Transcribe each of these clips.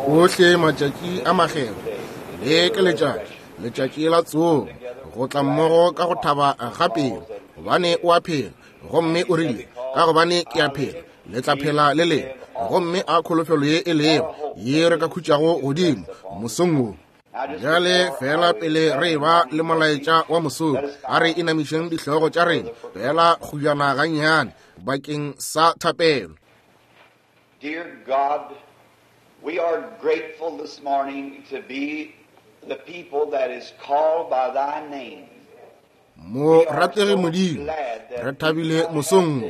Ohle matšatši a makgethwa, le ke letšatši, letšatši la tsogo, go tla mmogo ka go thaba ga pelo, gobane o a phela. Gomme o rile, Ka gobane ke a phela, le tla phela le lena. Gomme a kholofelo ye e lego, ye re ka khutšago godimo mosong wo. Bjale feela pele re eba le molaetša wa mosong, a re inamišeng dihlogo tša rena feela kgujana gannyane bakeng sa thapelo. Dear God, we are grateful this morning to be the people that is called by thy name. Mo ratege Modimo, re thabile mosong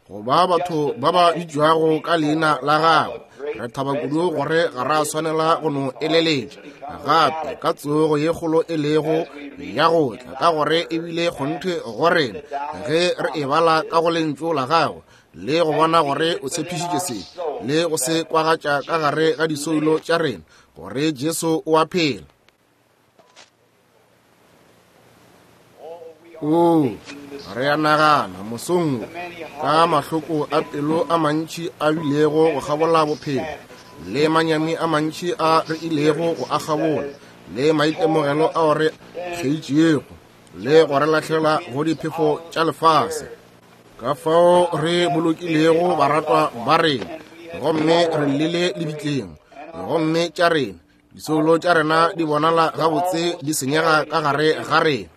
wo go ba batho ba ba bitšwago ka leina la gago. Re thaba kudu gore ga ra swanela go no eleletša gape ka tsogo ye kgolo e lego ya go tla, ka gore e bile kgonthe go rena ge re e bala ka go lentšu la gago le go bona gore o tshepišitše se le go se kwagatša ka gare ga disoulo tša rena gore Jesu o a phela. O, re a nagana mosong wo ka mahloko a pelo a mantši a bilego go kgabola bophelo, le manyami a mantši a re ilego go a kgabola, le maitemogelo ao re kgeitšego le go re lahlela go diphefo tša lefase, ka fao re bolokilego baratwa ba rena, gomme re llile lebitleng, gomme tša rena disoulo tša rena di bonala gabotse di senyega ka gare ga rena.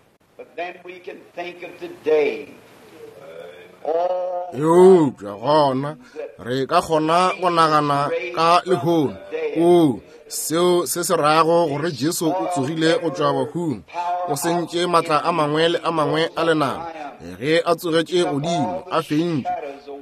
Eupša gona re ka kgona go nagana ka lehono, oo, seo se se rago gore Jesu o tsogile go tšwa bahung, o sentše matla a mangwe le a mangwe a lenaba. Ge a tsogetše godimo, a fentše,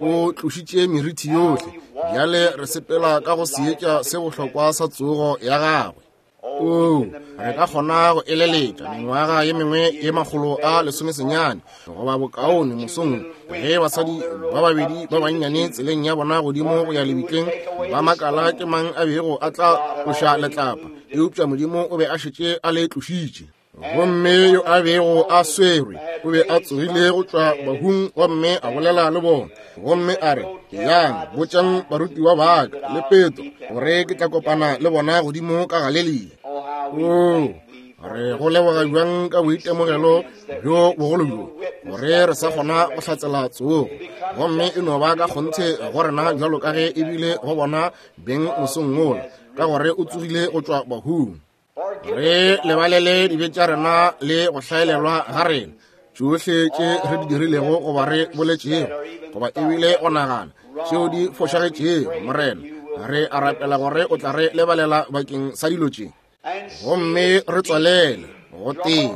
o tlošitše merithi yohle. Bjale re sepela ka go seetša se bohlokwa sa tsogo ya gagwe. Oo, re ka kgona go eleletša mengwaga ye mengwe ye 190 goba bokaone mosong ge basadi ba babedi ba bannyane tseleng ya bona godimo go ya lebitleng ba makala ke mang a bego a tla tloša letlapa, eupša Modimo o be a šetše a le tlošitše. Gomme yo a bego a swerwe o be a tsogile go tšwa bahung gomme a bolela le bona, gomme a re, Yang, botšang barutiwa ba ka le Petro gore ke tla kopana le bona godimo ka Galelia. Oo, re go leboga bjang ka boitemogelo bjo bogolo bjo, gore re sa kgona go hlatsela tsogo, gomme e no ba ka kgonthe go rena bjalo ka ge e bile go bona beng mosong wola, ka gore o tsogile go tšwa bahung. Re lebalele dibe tša rena le go hlaelelwa ga rena, tšohle tše re di dirilego goba re boletšego goba ebile go nagana tšeo di fošagetšego. Morena, re a rapela gore o tla re lebalela bakeng sa dilo tše, gomme re tswalele go tee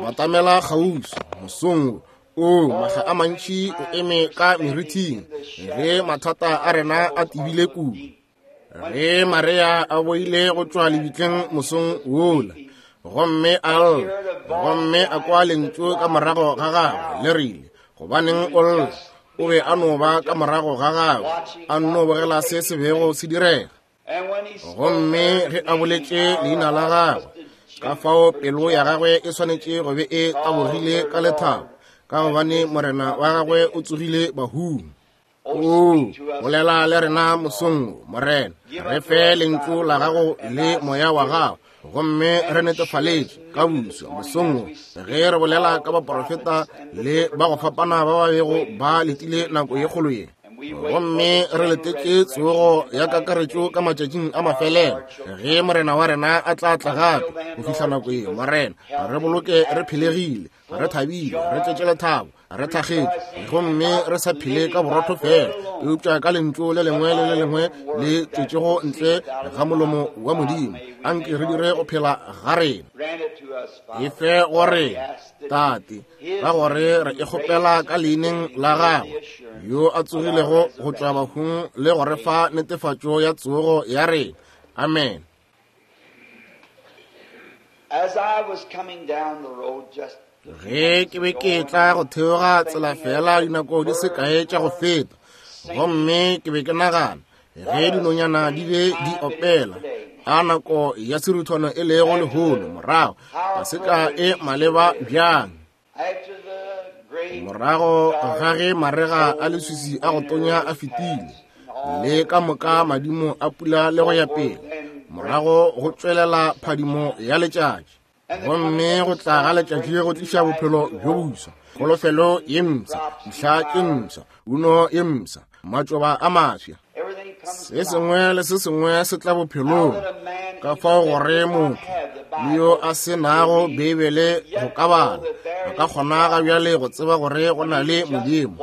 batamela kgauswi mosong wo. O, mahla a mantši o eme ka merithing ge mathata a rena a tebile kudu. Ge Maria a boile go tšwa lebitleng mosong wola, gomme a lla, gomme a kwa lentšu ka morago ga gagwe le rile, Gobaneng o lla? O be a no ba ka morago ga gagwe, a nno bogela se se bego se direga. Gomme ge a boletše leina la gagwe, ka fao pelo ya gagwe e swanetše go be e tabogile ka lethabo, ka gobane Morena wa gagwe o tsogile bahung. O bolela le rena mosong wo, Morena. Re fe lentšu la gago le moya wa gago, gomme re netefaletše ka buswa mosong wo ge re bolela ka baprofeta le ba go fapana ba ba bego ba letile nako ye kgolo ye, gomme re letetše tsogo ya kakaretšo ka matšatšing a mafelelo ge Morena wa rena a tla tla gape. Go fihla nako ye, Morena, re boloke re phelegile, re thabile, re tletše lethabo, re thakgetše, gomme re sa phele ka borotho fela, eupša ka lentšu le lengwe le le lengwe le tšwetšego ntle ga molomo wa Modimo. Anke re dire go phela ga rena. E fe gore, Tate, ka gore re e kgopela ka leineng la gagwe yo a tsogilego go tšwa bahung le go re fa netefatšo ya tsogo ya rena. Amen. Ge ke be ke tla go theoga tsela fela dinako di se kae tša go feta, gomme ke be ke nagana ge dinonyana di be di opela a nako ya seruthwana e lego lehono, morago paseka e maleba bjang. Morago ga ge marega a leswisi a go tonya a fetile, le ka moka madimo a pula le go ya pele, Morago go tšwelela phadimo ya letšatši. Gomme go tla ga letšatši go tliša bophelo bjo boswa, kholofelo ye mpsha, dihla tše mpsha, uno ye mpsha, matšoba a mafsa. Se sengwe le se sengwe se tla bophelong. Ka fao gore motho le yo a se nago Beibele go ka bala, a ka kgona ga bjale go tseba gore go na le Modimo,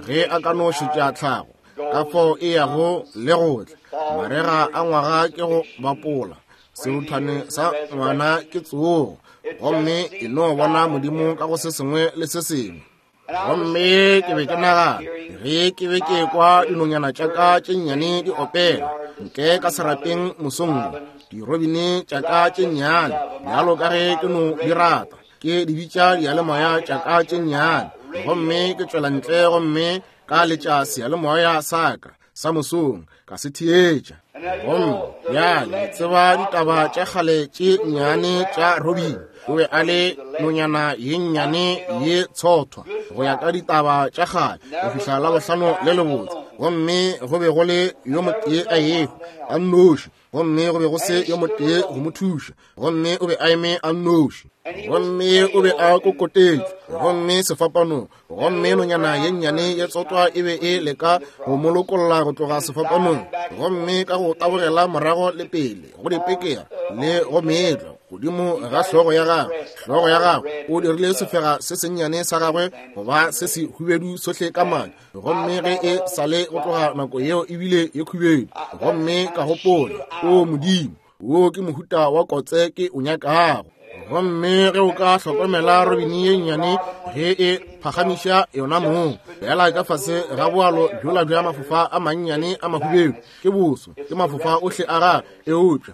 ge a ka no šetša tlhago, ka fao e yago le go tla. Marega a ngwaga ke go bapola, seruthwane sa ngwana ke tsogo, gomme e no bona Modimo ka go se sengwe le se sengwe. Gomme ke be ke nagana, ge ke be ke ekwa dinonyana tša ka tše nnyane di opela ntle ka serapeng mosong wo, dirobine tša ka tše nnyane, bjalo ka ge ke no di rata, ke di bitša diyalemoya tša ka tše nnyane, gomme ke tšwela ntle gomme ka letša seyalemoya sa ka sa mosong, ka se theetša. Gomme bjale tseba ditaba tša kgale tše nnyane tša Robin. O be a le nonyana ye nnyane ye tshothwa go ya ka ditaba tša kgale go fihla Labohlano le lebotse. Gomme go be go le yo motee a ehwa a nnoši, gomme go be go se yo motee go mo thuša, gomme o be a eme a nnoši, gomme o be a kokotetšwe gomme sefapanong, gomme nonyana ye nnyane ye tsotwa e be e leka go mo lokolla go tloga sefapanong, gomme ka go tabogela morago le pele go dipekera le go meetlwa godimo ga hlogo ya gagwe, hlogo ya gagwe, o dirile sefega se sennyane sa gagwe go ba se se hubedu sohle ka madi, gomme ge e sa le go tloga nako yeo e bile ye khubedu. Gomme ka gopola, O Modimo, wo ke mohuta wa kotse ke o nyakago. Gomme ge o ka hlokomela robini ye nnyane ge e phagamiša yona mong fela ka fase ga boalo bjola bja mafofa a mannyane a mahubedu, ke boso, ke mafofa ohle a gagwe, eupša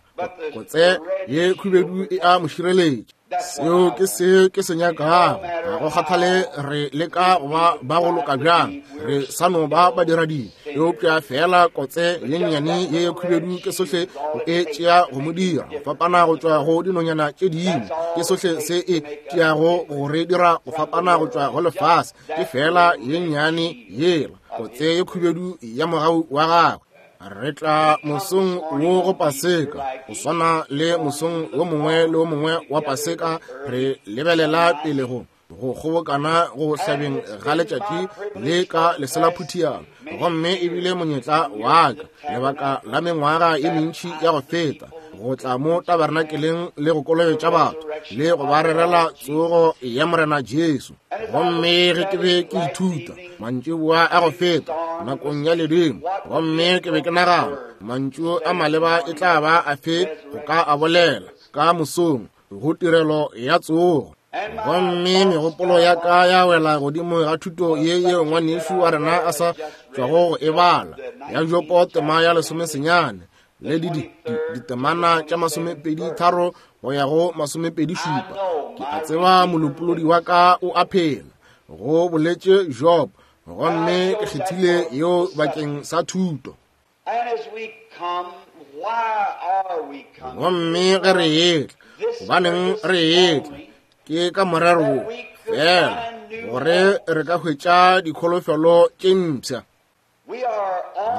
kotse ye khubedu e a mo šireletša. Seo ke se ke se nyakago. Ga go kgathale re leka go ba ba go loka bjang, re sa no ba badiradibe, eupša feela kotse ye nnyane ye khubedu ke sohle go e tšea go mo dira go fapana go tšwa go dinonyana tše dingwe. Ke sohle se e tšeago go re dira go fapana go tšwa go lefase, ke feela ye nnyane yela kotse ye khubedu ya mogau wa gagwe. Re tla mosong wo go Paseka, go swana le mosong wo mongwe le wo mongwe wa Paseka, re lebelela pele go go kgobokana go hlabeng ga letšatši le ka leselaphuthialo. Gomme e bile monyetla wa ka lebaka la mengwaga ye mentši ya go feta go tla mo tabernakeleng le go kolobetša batho le go ba rerela tsogo ya Morena Jesu. Gomme ge ke be ke ithuta mantšiboa a go feta nakong ya ledimo, gomme ke be ke nagana mantšu a maleba e tla ba afe go ka a bolela ka mosong go tirelo ya tsogo. Gomme megopolo ya ka ya wela godimo ga thuto ye yeo ngwanešu wa rena a sa tšwago go e bala, ya Jopo tema ya 19 le ditemana tša 23 go ya go 27. Ke a tseba molopolodi wa ka o a phela, go boletše Job, gomme ke kgethile yeo bakeng sa thuto. Gomme ge re etla, gobaneng re etla? Ke ka morero wo fela, gore re ka hwetša dikholofelo tše mpsha.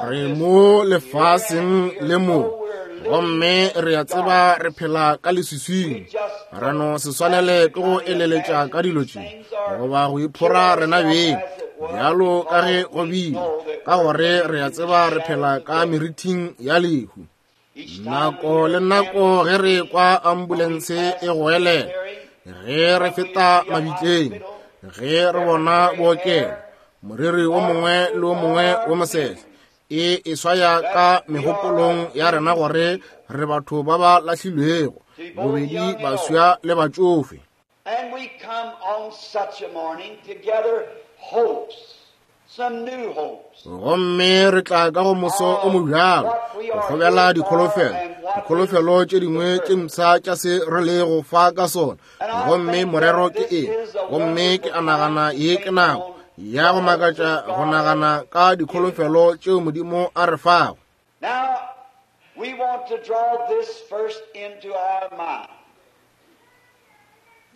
Re mo lefaseng le mo, gomme re a tseba re phela ka leswiswing. Re no se swanele ke go eleletša ka dilo tše goba go iphora rena beng bjalo ka ge go bile, ka gore re a tseba re phela ka merithing ya lehu. Nako le nako ge re kwa ambulense e goelela, ge re feta mabitleng, ge re bona bookelo, moriri wo mongwe le wo mongwe wo mosehla e e swaya ka megopolong ya rena gore re batho ba ba lahlilwego, bobedi baswa le batšofe. And we come on such a morning to gather hopes, some new hopes. Gomme re tla ka go moso o mobjalo go kgobela dikholofelo, dikholofelo tše dingwe tše mpsha tša se re lego fa ka sona. Gomme morero ke eng? Gomme ke a nagana ye ke nako ya go makatša go nagana ka dikholofelo tšeo Modimo a re fago. Now, we want to draw this first into our mind.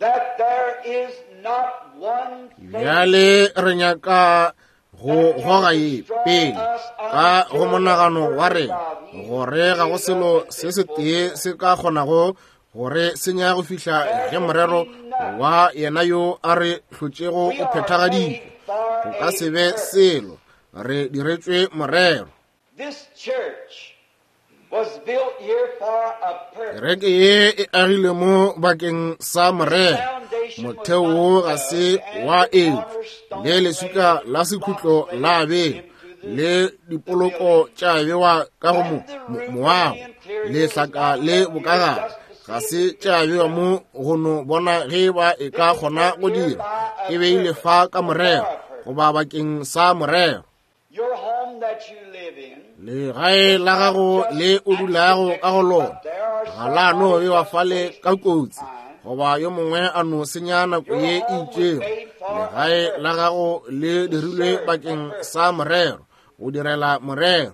That there is not one thing Bjale re nyaka Go goga ye pele ka go monagano wa rena, gore ga go selo se setee se ka kgonago gore senya go fihla ge morero wa yena yo a re hlotšego o phethagaditšwe. Go ka se be selo, re diretšwe morero. Kereke ye e agilwe mo bakeng sa morero. Motheo wo ga se wa etšwa, le leswika la sekhutlo la bewa, le dipoloko tša bewa ka go moago, lehlaka le bokagare ga se tša bewa mo go no bona ge ba e ka kgona go dira. E beile fa ka morero, goba bakeng sa morero. Legae la gago le o dulago ka go lona ga la no bewa fale ka kotsi, goba yo mongwe a no senya nako ye e itšego. Legae la gago le dirilwe bakeng sa morero, o direla morero.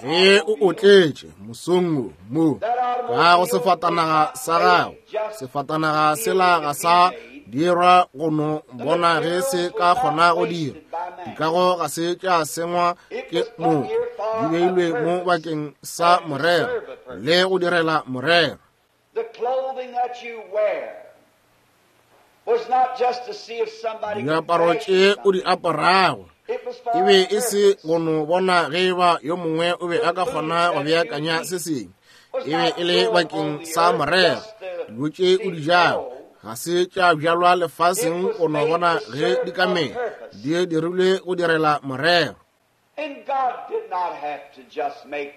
Ge o otletše mosong wo mo ka go sefatanaga sa gago, sefatanaga sela ga sa dirwa go no bona ge se ka kgona go dira. Dikago ga se tša sengwa ke motho, di beilwe mo bakeng sa morero le go direla morero. Diaparo tše o di aparago e be e se go no bona ge eba yo mongwe o be a ka kgona go beakanya se sengwe, e be e le bakeng sa morero. Dijo tše o di jago ga se tša bjalwa lefaseng go no bona ge di ka mela, di dirilwe go direla morero. And God did not have to just make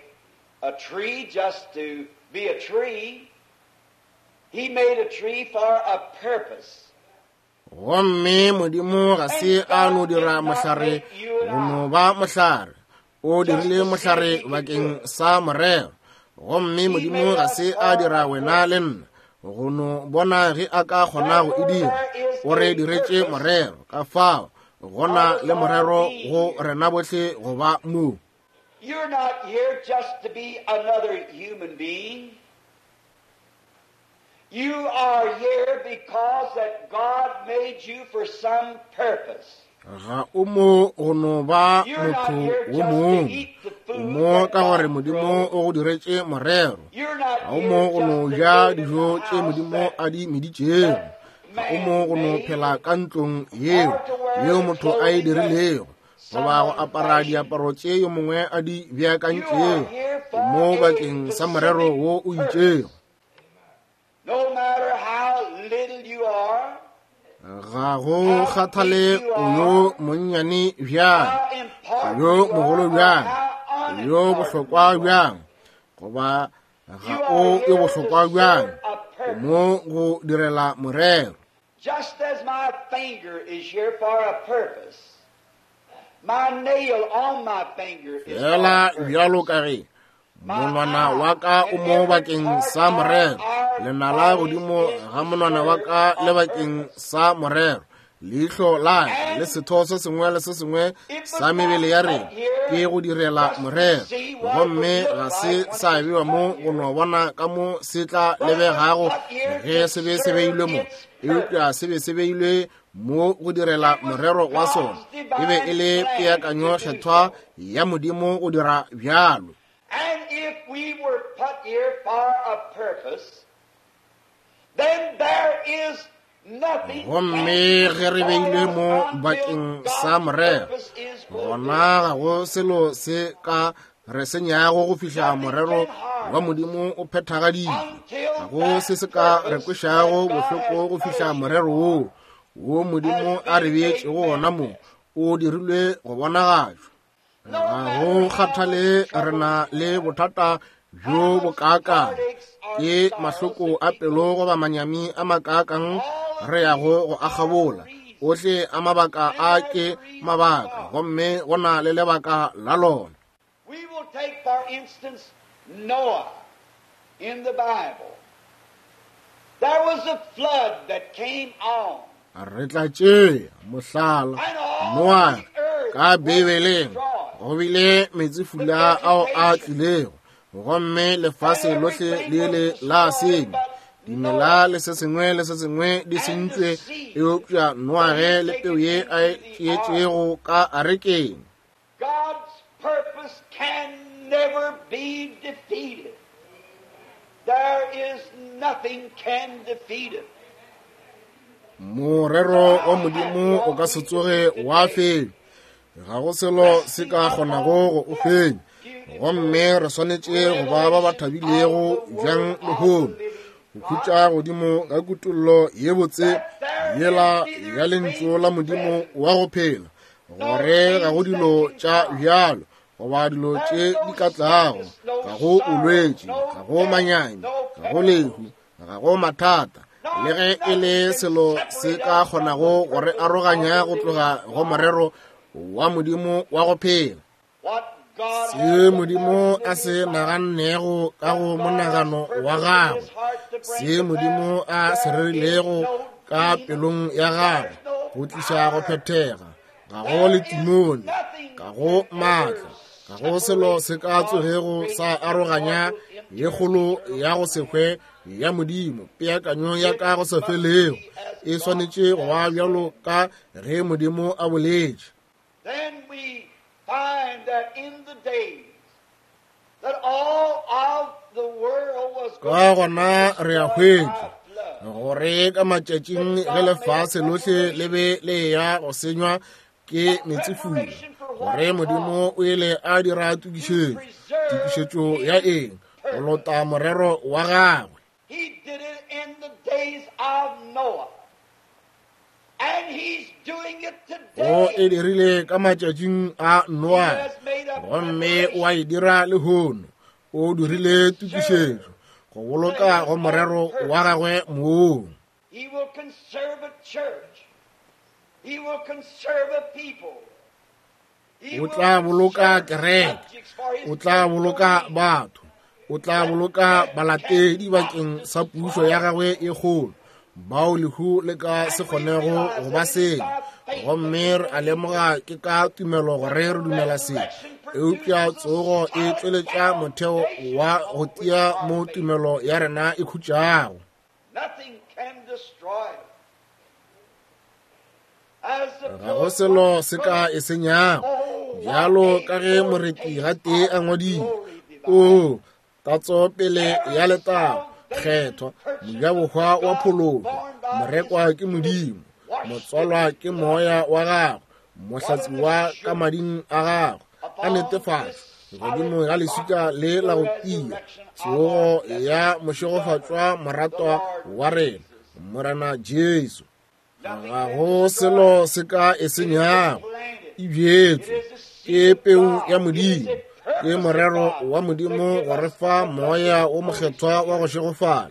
a tree just to be a tree. He made a tree for a purpose. Gomme Modimo ga se a no dira mohlare go no ba mohlare, o dirile mohlare bakeng sa morero. Gomme Modimo ga se a dira wena le nna go no bona ge a ka kgona go e dira, o re diretše morero. Ka fao gona le morero go rena bohle go ba mo. You're not here just to be another human being. You are here because that God made you for some purpose. Ga o mo go no ba motho wo mongwe, o mo ka gore Modimo o go diretše morero. Ga o mo go no ja dijo tše Modimo a di meditšego. Ga o mo go no phela ka ntlong yeo yeo motho a e dirilego, goba go apara diaparo tše yo mongwe a di beakantšego. O mo bakeng sa morero wo o itšego. No matter how little you are, Ga go kgathale o yo monnyane bjang, how o yo important you mogolo are, or bjang, how o yo unimportant bohlokwa you are. bjang, goba ga You o are yo here to bohlokwa bjang, serve a o purpose. mo go direla morero. Just as my finger is here for a purpose, my nail on my finger is for a Fela purpose. bjalo ka ge monwana wa ka o mo bakeng sa morero, lenala godimo ga monwana wa ka le bakeng sa morero, leihlo la ka le setho se sengwe le se sengwe sa mebele ya rena ke go direla morero. Gomme ga se sa bewa mo go no bona ka mo se tla lebegago ge se be se beilwe mo, eupša se be se beilwe mo go direla morero wa sona. E be e le peakanyo kgethwa ya Modimo go dira bjalo. And if we were put here for a purpose, then there is nothing Gomme can ge re beilwe destroy mo us until bakeng sa God's morero, purpose is fulfilled. gona ga go selo se ka re senyago go fihla Nothing morero can harm wa us Modimo o phethagaditšwe. Ga until go that se se ka re purpose kwešago that God bohloko has go put fihla us here morero for woo wo Modimo has a re been made beetšego wona mo manifest. o dirilwe go bonagatšwa. No Ga matter go how much kgathale re trouble na we le have, bothata how bjo much bokaakang, heartaches or ke sorrows mahloko that a we pelo go goba through, manyami a makaakang all of re yago these go a are kgabola. reasons, Ohle a mabaka and a there's ke a reason mabaka, for. gomme go na le lebaka la lona. We will take, for instance, Noah in the Bible. There was a flood that came on, Re tla tšea mohlala and all Noa the earth ka was Bibeleng. destroyed. Go bile The meetsefula ao a vegetation tlilego, gomme and lefase lohle everything le was ile la destroyed senywa. but Dimela le se sengwe le se sengwe di sentšwe, eupša Noage le peu ye a e tšeetšego ka arekeng. God's purpose can never be defeated. There is nothing can defeat it. Morero wa Modimo o ka se tsoge wa fenya. Ga go selo se ka kgonago go o fenya. Gomme re swanetše go ba ba ba thabilego bjang lehono, go khutša godimo ga kutollo ye botse yela ya Lentšu la Modimo wa go phela, gore ga go dilo tša bjalo goba dilo tše di ka tlago, ga go bolwetši, ga go manyami, ga go lehu, ga go mathata, le ge e le selo se ka kgonago go re aroganya go tloga go morero wa Modimo wa go phela. Se Modimo a se nagannego ka go monagano wa gagwe, se Modimo a se rerilego ka pelong ya gagwe go tliša go phethega, ga go letimone, ga go maatla, ga go selo se ka tsogego sa aroganya ye kgolo ya go se hwe ya Modimo. Peakanyo ya ka go sa felego e swanetše go ba bjalo ka ge Modimo a boletše. Then we find that in the days that all of the world was Ka gona re a hwetša gore ka matšatšing ge lefase lohle le be le eya go senywa ke meetsefula, gore Modimo o ile a dira tokišetšo. Tokišetšo ya eng? Go lota morero wa gagwe. He did it in the days of Noah. And he's doing it O today. e dirile ka matšatšing a Noa, He has made a gomme o a e dira lehono. O dirile tokišetšo go boloka go morero wa gagwe mong. He will conserve a church. He will conserve a people. He O will tla boloka conserve kereke, subjects for his o tla boloka domain. batho, o tla boloka balatedi bakeng sa pušo ya gagwe e kgolo, bao lehu le ka se kgonego go ba senya. Gomme re a lemoga ke ka tumelo gore re dumela se, eupša tsogo e tšweletša motheo wa go tia mo tumelo ya rena e khutšago. Nothing can destroy it. As the Ga go selo se ka e senyago, bjalo ka ge moreti gatee a ngwadile, o tatso pele ya letago, kgethwa, mojabohwa wa phološo, morekwa ke Modimo, motswalwa ke moya wa gagwe, mohlatsiwa ka mading a gagwe, a netefatšwa godimo ga leswika le la go tia, tsogo ya mošegofatšwa moratwa wa rena, Morena Jesu. Ga go selo se ka e senyago, e bjetswe ke peu ya Modimo, ke morero wa Modimo go re fa moya o mokgethwa wa go šegofala,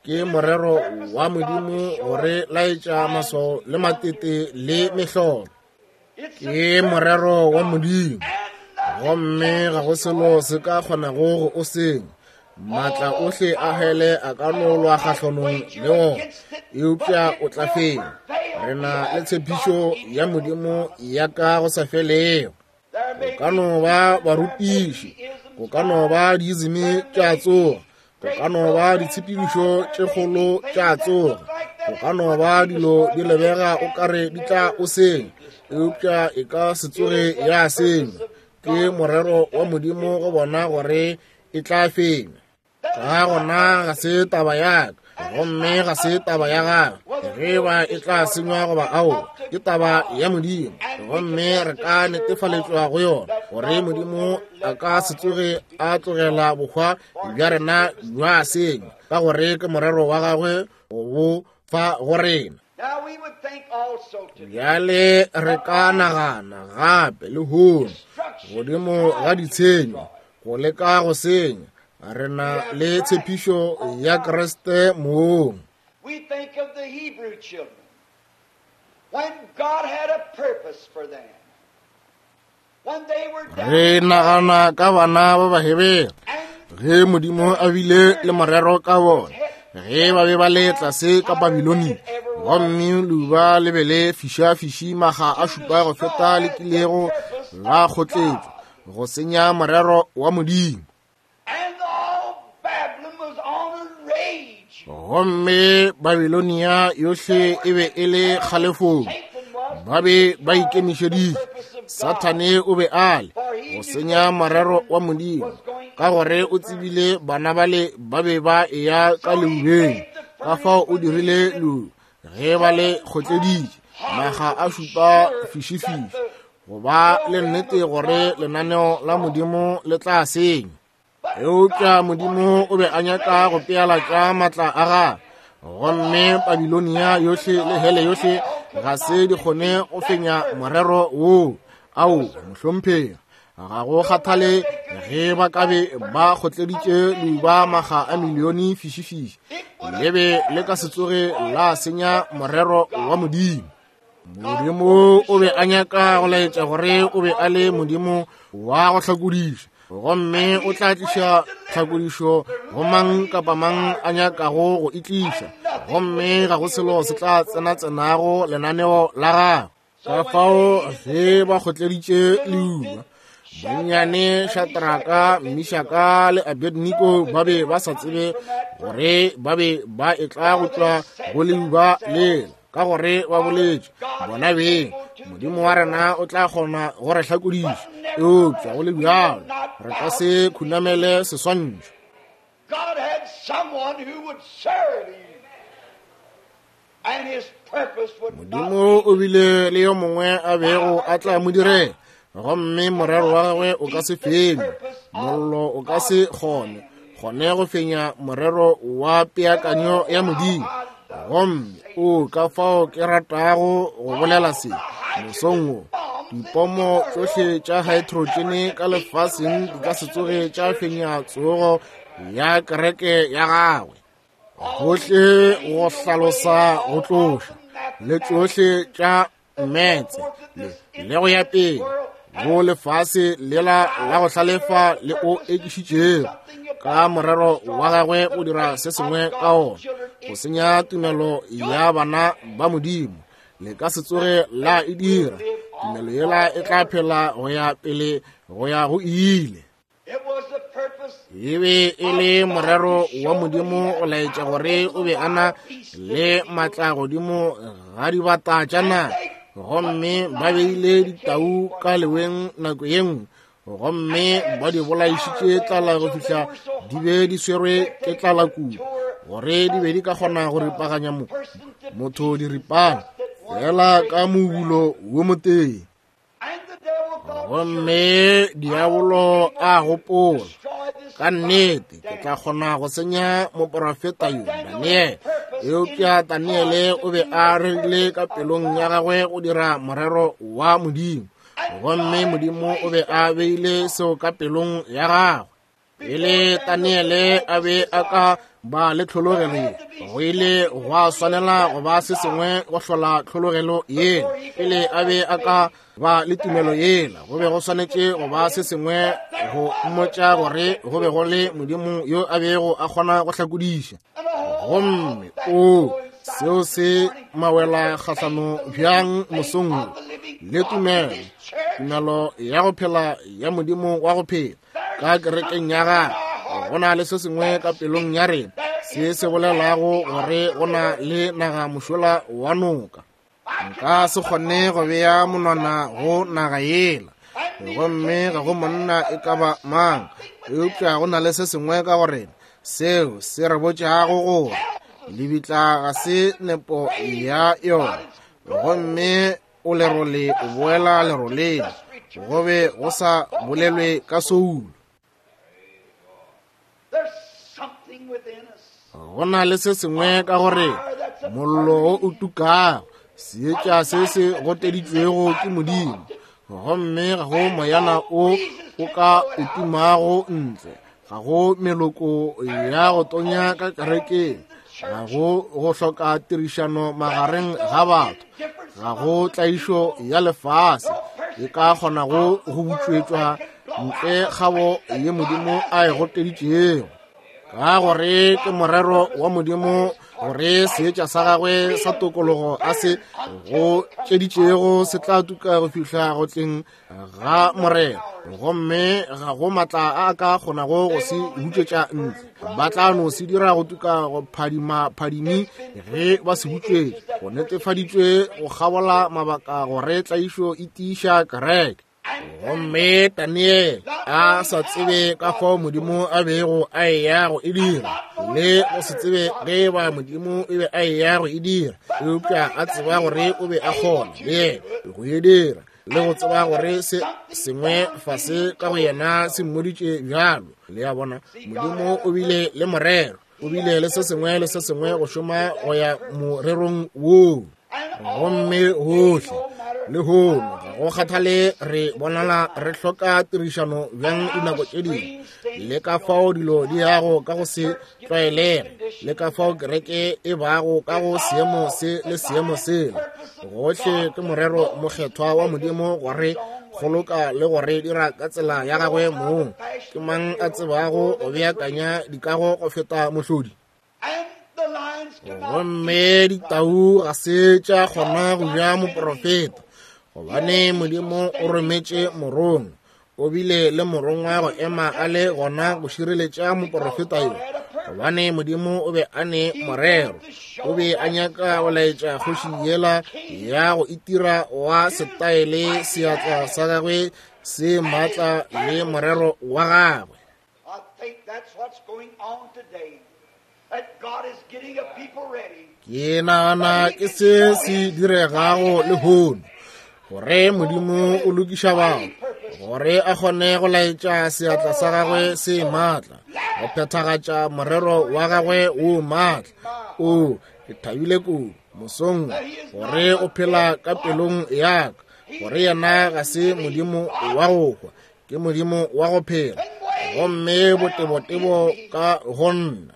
ke morero wa Modimo go re laetša maswao le matete le mehlolo, ke morero wa Modimo, gomme ga go selo se ka kgonago go o senya. Maatla ohle a hele a ka no lwa kgahlanong le wona, eupša o tla fenya. Re na le tshepišo ya Modimo ya ka go sa felego. Go ka no ba barutiši, go ka no ba diizimi tša tsoga, go ka no ba ditshepedišo tše kgolo tša tsoga, go ka no ba dilo di lebega o kare di tla o senya, eupša e ka se tsoge ya senya. Ke morero wa Modimo go bona gore e tla fenya. Ka gona ga se taba ya ka, gomme ga se taba ya gagwe, ge ba e tla senywa goba aowa, ke taba ya Modimo, gomme re ka netefaletšwa go yona gore Modimo a ka se tsoge a tlogela bohwa bja rena bja senya, ka gore ke morero wa gagwe go bo fa go rena. Now we would think also today Bjale re ka nagana gape lehono godimo ga ditshenyo, go leka go senya, re na le tshepišo ya Kriste mong. We think of the Hebrew children when God had a purpose for them. When they were down Re nagana ka bana ba Bahebere and ge Modimo a bile le morero ka bona, ge ba be ba le tlase ka Babilonia, gomme leuba le be le fišafiši maga a šupa go feta le kilego la kgotletšwa, go senya morero wa Modimo. And all Babylon was on a rage. Gomme Babilonia yohle e be e le kgalefong. Ba be ba ikemišeditše. Sathane o be a le go senya morero wa Modimo, ka gore o tsebile bana bale ba be ba eya ka leubeng. Ka fao o dirile leu ge ba le kgotleditše maga a šupa fišifiši, go ba le nnete gore lenaneo la Modimo le tla senya. Eupša Modimo o be a nyaka go pealatša matla a gagwe, gomme Babilonia yohle le hele yohle ga se di kgone go fenya morero woo. Ao, mohlomphegi, ga go kgathale ge ba ka be ba kgotleditše leuba maga a milione fišifiši, le be le ka se tsoge la senya morero wa Modimo. Modimo o be a nyaka go laetša gore o be a le Modimo wa go hlakodiša, gomme o tla tliša tlhakodišo go mang kapa mang a nyakago go e tliša, gomme ga go selo se tla tsenatsenago lenaneo la gagwe. Ka fao ge ba kgotleditše leuba, bonnyane Shadraka, Mishaka le Abednego ba be ba sa tsebe gore ba be ba etla go tšwa go leuba lela, ka gore ba boletše bona beng, Modimo wa rena o tla kgona go re hlakodiša, eupša go le bjalo re ka se khunamele seswantšho. God had someone who would serve him, and his purpose would not Modimo o bile le yo mongwe a bego a tla mo direla, gomme morero wa gagwe o ka se fenywe. Mollo o ka se kgone kgone go fenya morero wa peakanyo ya Modimo. Gomme o ka fao ke ratago go bolela se mosong wo, dipomo tšohle tša haetrotšene ka lefaseng di ka se tsoge tša fenya tsogo ya kereke ya gagwe. Gohle go hlalosa go tloša le tšohle tša metse le go ya pele go lefase lela la go hlalefa le o ekišitšego ka morero wa gagwe o dira se sengwe ka ona go senya tumelo ya bana ba Modimo. Le ka se tsoge la e dira. Tumelo yela e tla phela go ya pele go ya go ile. E be e le morero wa Modimo go laetša gore o be a na le matla godimo ga dibata tša naga, gomme ba beile ditau ka leweng nako ye nngwe, gomme ba di bolaišitše tlala go fihla di be di swerwe ke tlala kudu gore di be di ka kgona go ripaganya motho diripana fela ka mobulo wo motee. Gomme diabolo a gopola, ka nnete ke tla kgona go senya moporofeta yo Daniele. Eupša Daniele o be a rerile ka pelong ya gagwe go dira morero wa Modimo, gomme Modimo o be a beile seo ka pelong ya gagwe. Pele Daniele a be a ka ba le tlhologelo ye, go ile gwa swanela go ba se sengwe go hlola tlhologelo yela. Pele a be a ka ba le tumelo yela, go be go swanetše go ba se sengwe go mmotša gore go be go le Modimo yo a bego a kgona go hlakodiša. Gomme o seo se mawela kgahlano bjang mosong wo le tumelo, tumelo ya go phela ya Modimo wa go phela ka kerekeng ya gagwe. Go na le se sengwe ka pelong ya rena se se bolelago gore go na le naga mošola wa noka. Nka se kgone go bea monwana go naga yela, gomme ga go monna e ka ba mang, eupša go na le se sengwe ka go rena seo se re botšago gore lebitla ga se nepo ya yona, gomme o lerole o boela leroleng, go be go sa bolelwe ka soulo. Go na le se sengwe ka gore mollo wo o tukago, seetša se se goteditšwego ke Modimo, gomme ga go moyana o o ka o tumago ntle, ga go meloko ya go tonya ka kerekeng, ga go go hloka tirišano magareng ga batho, ga go tlaišo ya lefase e ka kgonago go butšwetšwa ntle kgabo ye Modimo a e goteditšego, ka gore ke morero wa Modimo gore seetša sa gagwe sa tokologo a se go tšeditšego se tla tuka go fihla go tleng ga Morena, gomme ga go matla a a ka kgonago go se hutšetša ntle. Ba tla no se dira go tuka go phadima phadimi ge ba se hutšetša. Go netefaditšwe go kgabola mabaka gore tlaišo e tiiša kereke. Gomme Daniel a sa tsebe ka fao Modimo a bego a eya go e dira, le go se tsebe ge ba Modimo e be a eya go e dira, eupša a tseba gore o be a kgona le yena go e dira, le go tseba gore se sengwe fase ka go yena se mmoditše bjalo. Le a bona, Modimo o bile le morero, o bile le se sengwe le se sengwe go šoma go ya morerong woo. Gomme gohle lehono ga go kgathale re bonala re hloka tirišano bjang dinako tše dingwe, le ka fao dilo di yago ka go se tlwaelege, le ka fao kereke e bago ka go seemo se le seemo sela, gohle ke morero mokgethwa wa Modimo gore kgoloka le gore dira ka tsela ya gagwe mong. Ke mang a tsebago go beakanya dikago go feta mohlodi? Gomme ditau ga se tša kgona go ja moprofeta, gobane Modimo o rometše morongwa. O bile le morongwa go ema a le gona go šireletša moprofeta yo, gobane Modimo o be a ne morero. O be a nyaka go laetša kgoši yela ya go itira wa setaele seatla sa gagwe se maatla le morero wa gagwe. I think that's what's going on today. That God is getting a people ready. Ke nagana ke se se diregago lehono, gore Modimo o lokiša batho gore a kgone go laetša seatla sa gagwe se maatla, go phethagatša morero wa gagwe wo maatla. O, ke thabile kudu mosong gore o phela ka pelong ya ka, gore yena ga se Modimo wa go hwa, ke Modimo wa go phela, gomme botebotebo ka go nna.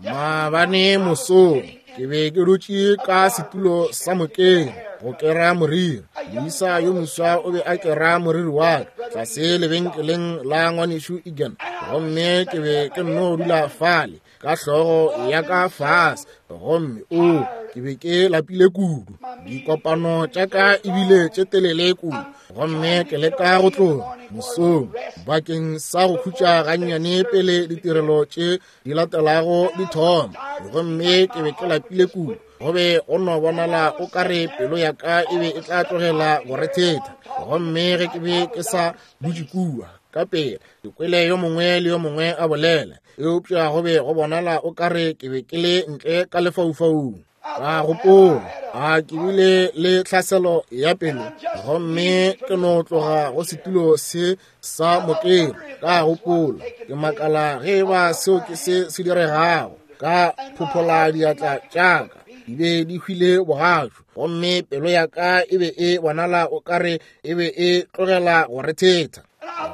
Maabane mosong ke be ke dutše ka setulo sa mokeng go kera moriri. Moisa yo moswa o be a kera moriri wa ka tlase lebenkeleng la ngwanešu Egan, gomme ke be ke nno dula fale ka hlogo ya ka fase, gomme o ke be ke lapile kudu. Dikopano tša ka ebile tše telele kudu, gomme ke leka go tloga mosong bakeng sa go khutša gannyane pele ditirelo tše di latelago di thoma, gomme ke be ke lapile kudu. Go be go no bonala o ka re pelo ya ka e be e tla tlogela go rethetha, gomme ge ke be ke sa dutše kua ka pela ke kwele yo mongwe le yo mongwe a bolela, eupša go be go bonala o ka re ke be ke le ntle ka lefaufaung. Ka gopola, a ke bile le tlhaselo ya pelo, gomme ke no tloga go setulo se sa mokero. Ka gopola, ke makala ge e ba seo ke se se diregago. Ka phophola diatla tša ka, di be di hwile bogašo, gomme pelo ya ka e be e bonala o ka re e be e tlogela go rethetha.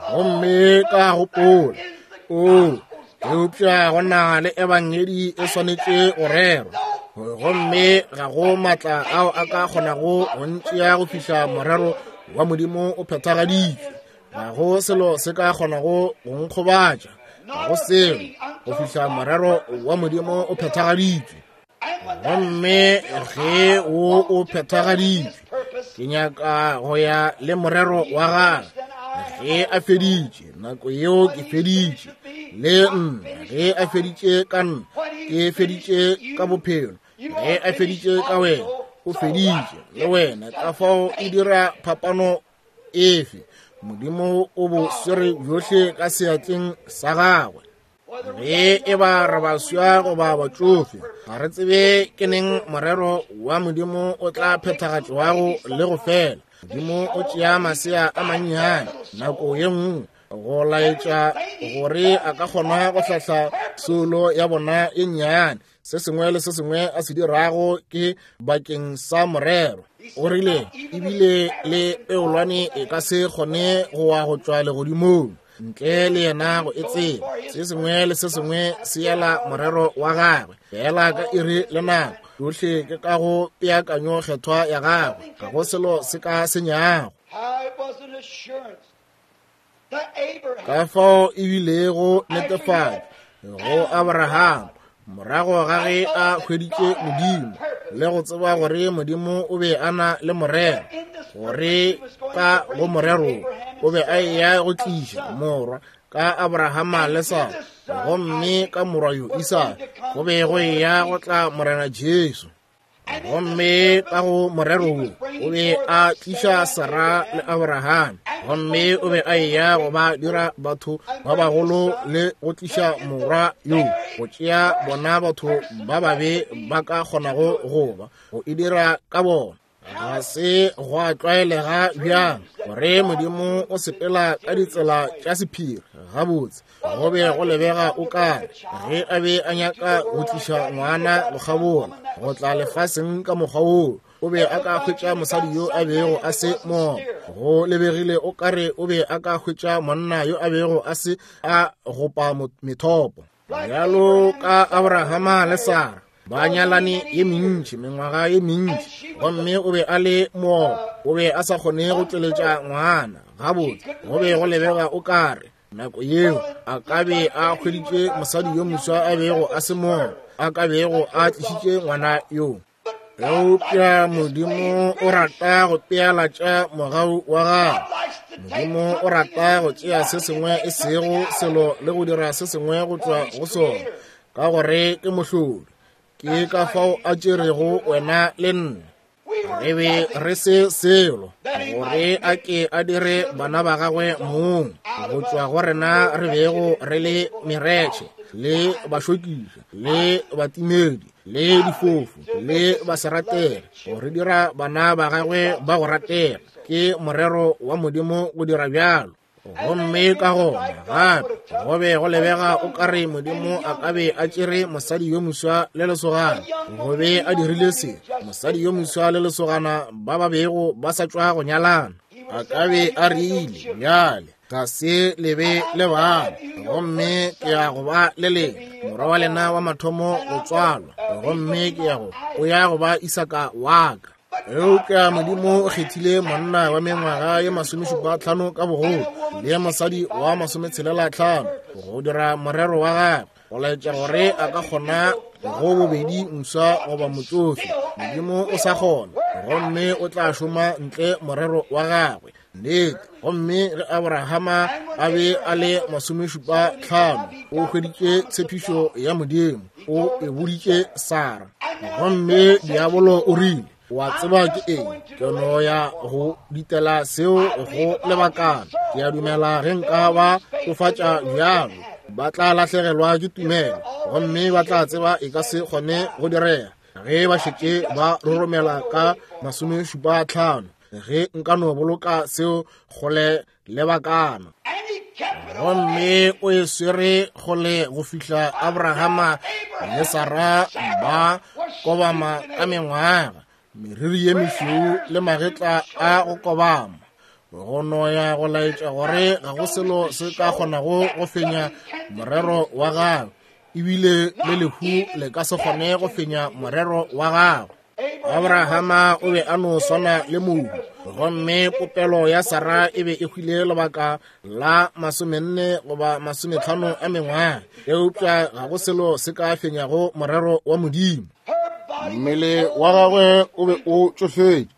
Gomme ka gopola, o, eupša go na le ebangedi e swanetše go rerwa, gomme ga go matla ao a ka kgonago go ntšea go fihla morero wa Modimo o phethagaditšwe. Ga go selo se ka kgonago go nkgobatša, ga go selo go fihla morero wa Modimo o phethagaditšwe. Gomme ge o o phethagaditšwe, ke nyaka go ya le morero wa gagwe. Ge a feditše, nako yeo ke feditše le nna. Ge a feditše ka nna, ke feditše ka bophelo. Ge a feditše ka wena, o feditše le wena. Ka fao e dira phapano efe? Modimo o bo swere bjohle ka seatleng sa gagwe. Ge e ba re baswa goba batšofe, ga re tsebe ke neng morero wa Modimo o tla phethagatšwago le go fela. Modimo o tšea masea a mannyane nako ye nngwe go laetša gore a ka kgona go hlahla soulo ya bona e nnyane. Se sengwe le se sengwe a se dirago ke bakeng sa morero. O rile ebile le peolwane e ka se kgone go wa go tšwa legodimong ntle le yena go e tseba. Se sengwe le se sengwe se yela morero wa gagwe fela ka iri le nako. Yohle ke ka go peakanyo kgethwa ya gagwe, ga go selo se ka senyago. How it was an assurance to Abraham Ka fao e bilego netefatšo go Abraham Morago ga ge a hweditše Modimo le go tseba gore Modimo o be a na le morero, gore ka go morero o be a eya go tliša morwa ka Abrahama le Sara, gomme ka morwa yo Isaka go be go eya go tla Morena Jesu. Gomme ka go morero wo o be a tliša Sara le Abraham, gomme o be a eya go ba dira batho ba bagolo le go tliša morwa yo, go tšea bona batho ba babe ba ka kgonago go ba, go e dira ka bona. Ga se gwa tlwaelega bjang gore Modimo o sepela ka ditsela tša sephiri. Gabotse, go be go lebega o kare ge a be a nyaka go tliša ngwana go kgabola go tla lefaseng ka mokgwa woo, o be a ka hwetša mosadi yo a bego a se moopa. Go lebegile o kare o be a ka hwetša monna yo a bego a se a gopa methopo. Bjalo ka Abrahama le Sara ba nyalane ye mentši, mengwaga ye mentši, gomme o be a le moopa, o be a sa kgone go tšweletša ngwana. Gabotse, go be go lebega o kare nako yeo a ka be a hweditše mosadi yo moswa a bego a se moopa, a ka bego a tlišitše ngwana yo. Eupša Modimo o rata go pealatša mogau wa gagwe. Modimo o rata go tšea se sengwe e sego selo le go dira se sengwe go tšwa go sona, ka gore ke mohlodi. Ke ka fao a tšerego wena le nna. Re be re se selo, gore a ke a dire bana ba gagwe mong, go tšwa go rena re bego re le meretšhe le bašokiša le batimedi le difofu le baseratege, go re dira bana ba gagwe ba go ratega. Ke morero wa Modimo go dira bjalo. Gomme ka gona gape go be go lebega o kare Modimo a ka be a tšere mosadi yo moswa le lesogana, go be a dirile se, mosadi yo moswa le lesogana ba ba bego ba sa tšwa go nyalana. A ka be a rile, bjale ga se le be le bana, gomme ke ya go ba le lena, morwa wa lena wa mathomo go tswalwa, gomme ke ya go, o ya go ba Isaka wa ka. Eupša Modimo o kgethile monna wa mengwaga ye 75 ka bogolo le mosadi wa 65 go dira morero wa gagwe, go laetša gore a ka kgona go bobedi moswa goba motsofe. Modimo o sa kgona, gomme o tla šoma ntle morero wa gagwe. Nnete. Gomme ge Abrahama a be a le 75, o hweditše tshepišo ya Modimo, o e boditše Sara. Gomme diabolo o rile, wa tseba ke eng, ke no ya go ditela seo go lebakana. Ke a dumela ge nka ba tsofatša bjalo, ba tla lahlegelwa ke tumelo, gomme ba tla tseba e ka se kgone go direga ge ba šetše ba roromela ka 75. Ge nka no boloka seo kgole lebakana. Gomme o e swere kgole go fihla Abrahama le Sara ba kobama ka mengwaga, meriri ye mešweu le magetla a go kobama, go no ya go laetša gore ga go selo se ka kgonago go fenya morero wa gagwe, ebile le lehu le ka se kgone go fenya morero wa gagwe. Abrahama o be a no swana le mohu, gomme popelo ya Sara e be e hwile lebaka la 40 goba 50 a mengwaga, eupša ga go selo se ka fenyago morero wa Modimo. Mmele wa gagwe o be o tšofetše,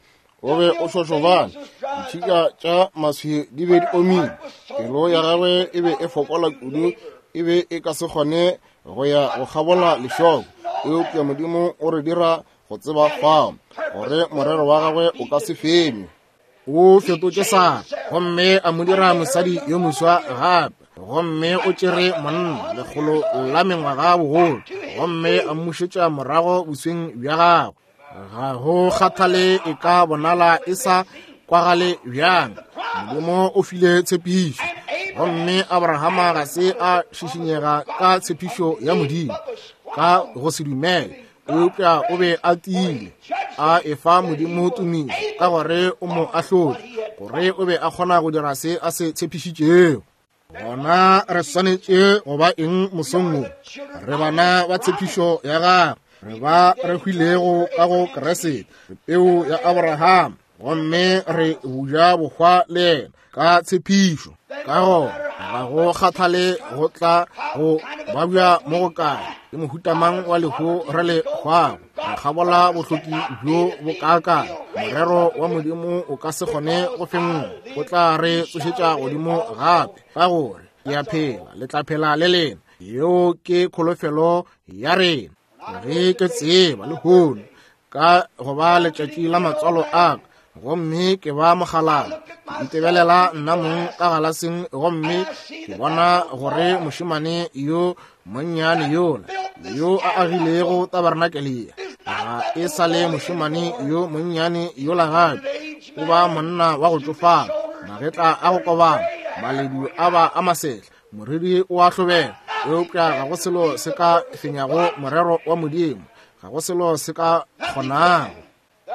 o be o šošobane, ditšhika tša maswi di be di omile, pelo ya gagwe e be e fokola kudu, e be e ka se kgone go ya go kgabola lešoko. Eupša Modimo o re dira go tseba fao gore morero wa gagwe o ka se fenywe. O fetotše Sara gomme a mo dira mosadi yo moswa gape, gomme o tšere monna lekgolo la mengwaga bogolo gomme a mmušetša morago bosweng bja gagwe. Ga go kgathale e ka bonala e sa kwagale bjang, Modimo o file tshepišo, gomme Abrahama ga se a šišinyega ka tshepišo ya Modimo ka go se dumele, eupša o be a tiile a efa Modimo tumišo ka gore o mo ahlotše, gore o be a kgona go dira se a se tshepišitšego. Gona re swanetše go ba eng mosong wo? Re bana ba tshepišo ya gagwe, re ba re hwilego ka go Kriste, re peu ya Abraham, gomme re buja bohwa le yena ka tshepišo. Ka gona ga go kgathale go tla go babja mo go kae, Ke mohuta mang wa lehu re le hwago? Re kgabola bohloki bjo bo kaakang? Morero wa Modimo o ka se kgone go fenngwa. O tla re tsošetša godimo gape, ka gore ke a phela, le tla phela le lena. Yeo ke kholofelo ya rena. Ge ke tseba lehono ka go ba letšatši la matswalo a ka, gomme ke ba mogalala, ke itebelela nna mong ka galaseng, gomme ke bona gore mošemane yo monnyane yola yo a agilego tabernakelea ga e sa le mošemane yo monnyane yola gape, o ba monna wa go tšofala, magetla a go kobana, maledu a ba a masehla, moriri o a hlobela. Eupša ga go selo se ka fenyago morero wa Modimo, ga go selo se ka kgonago.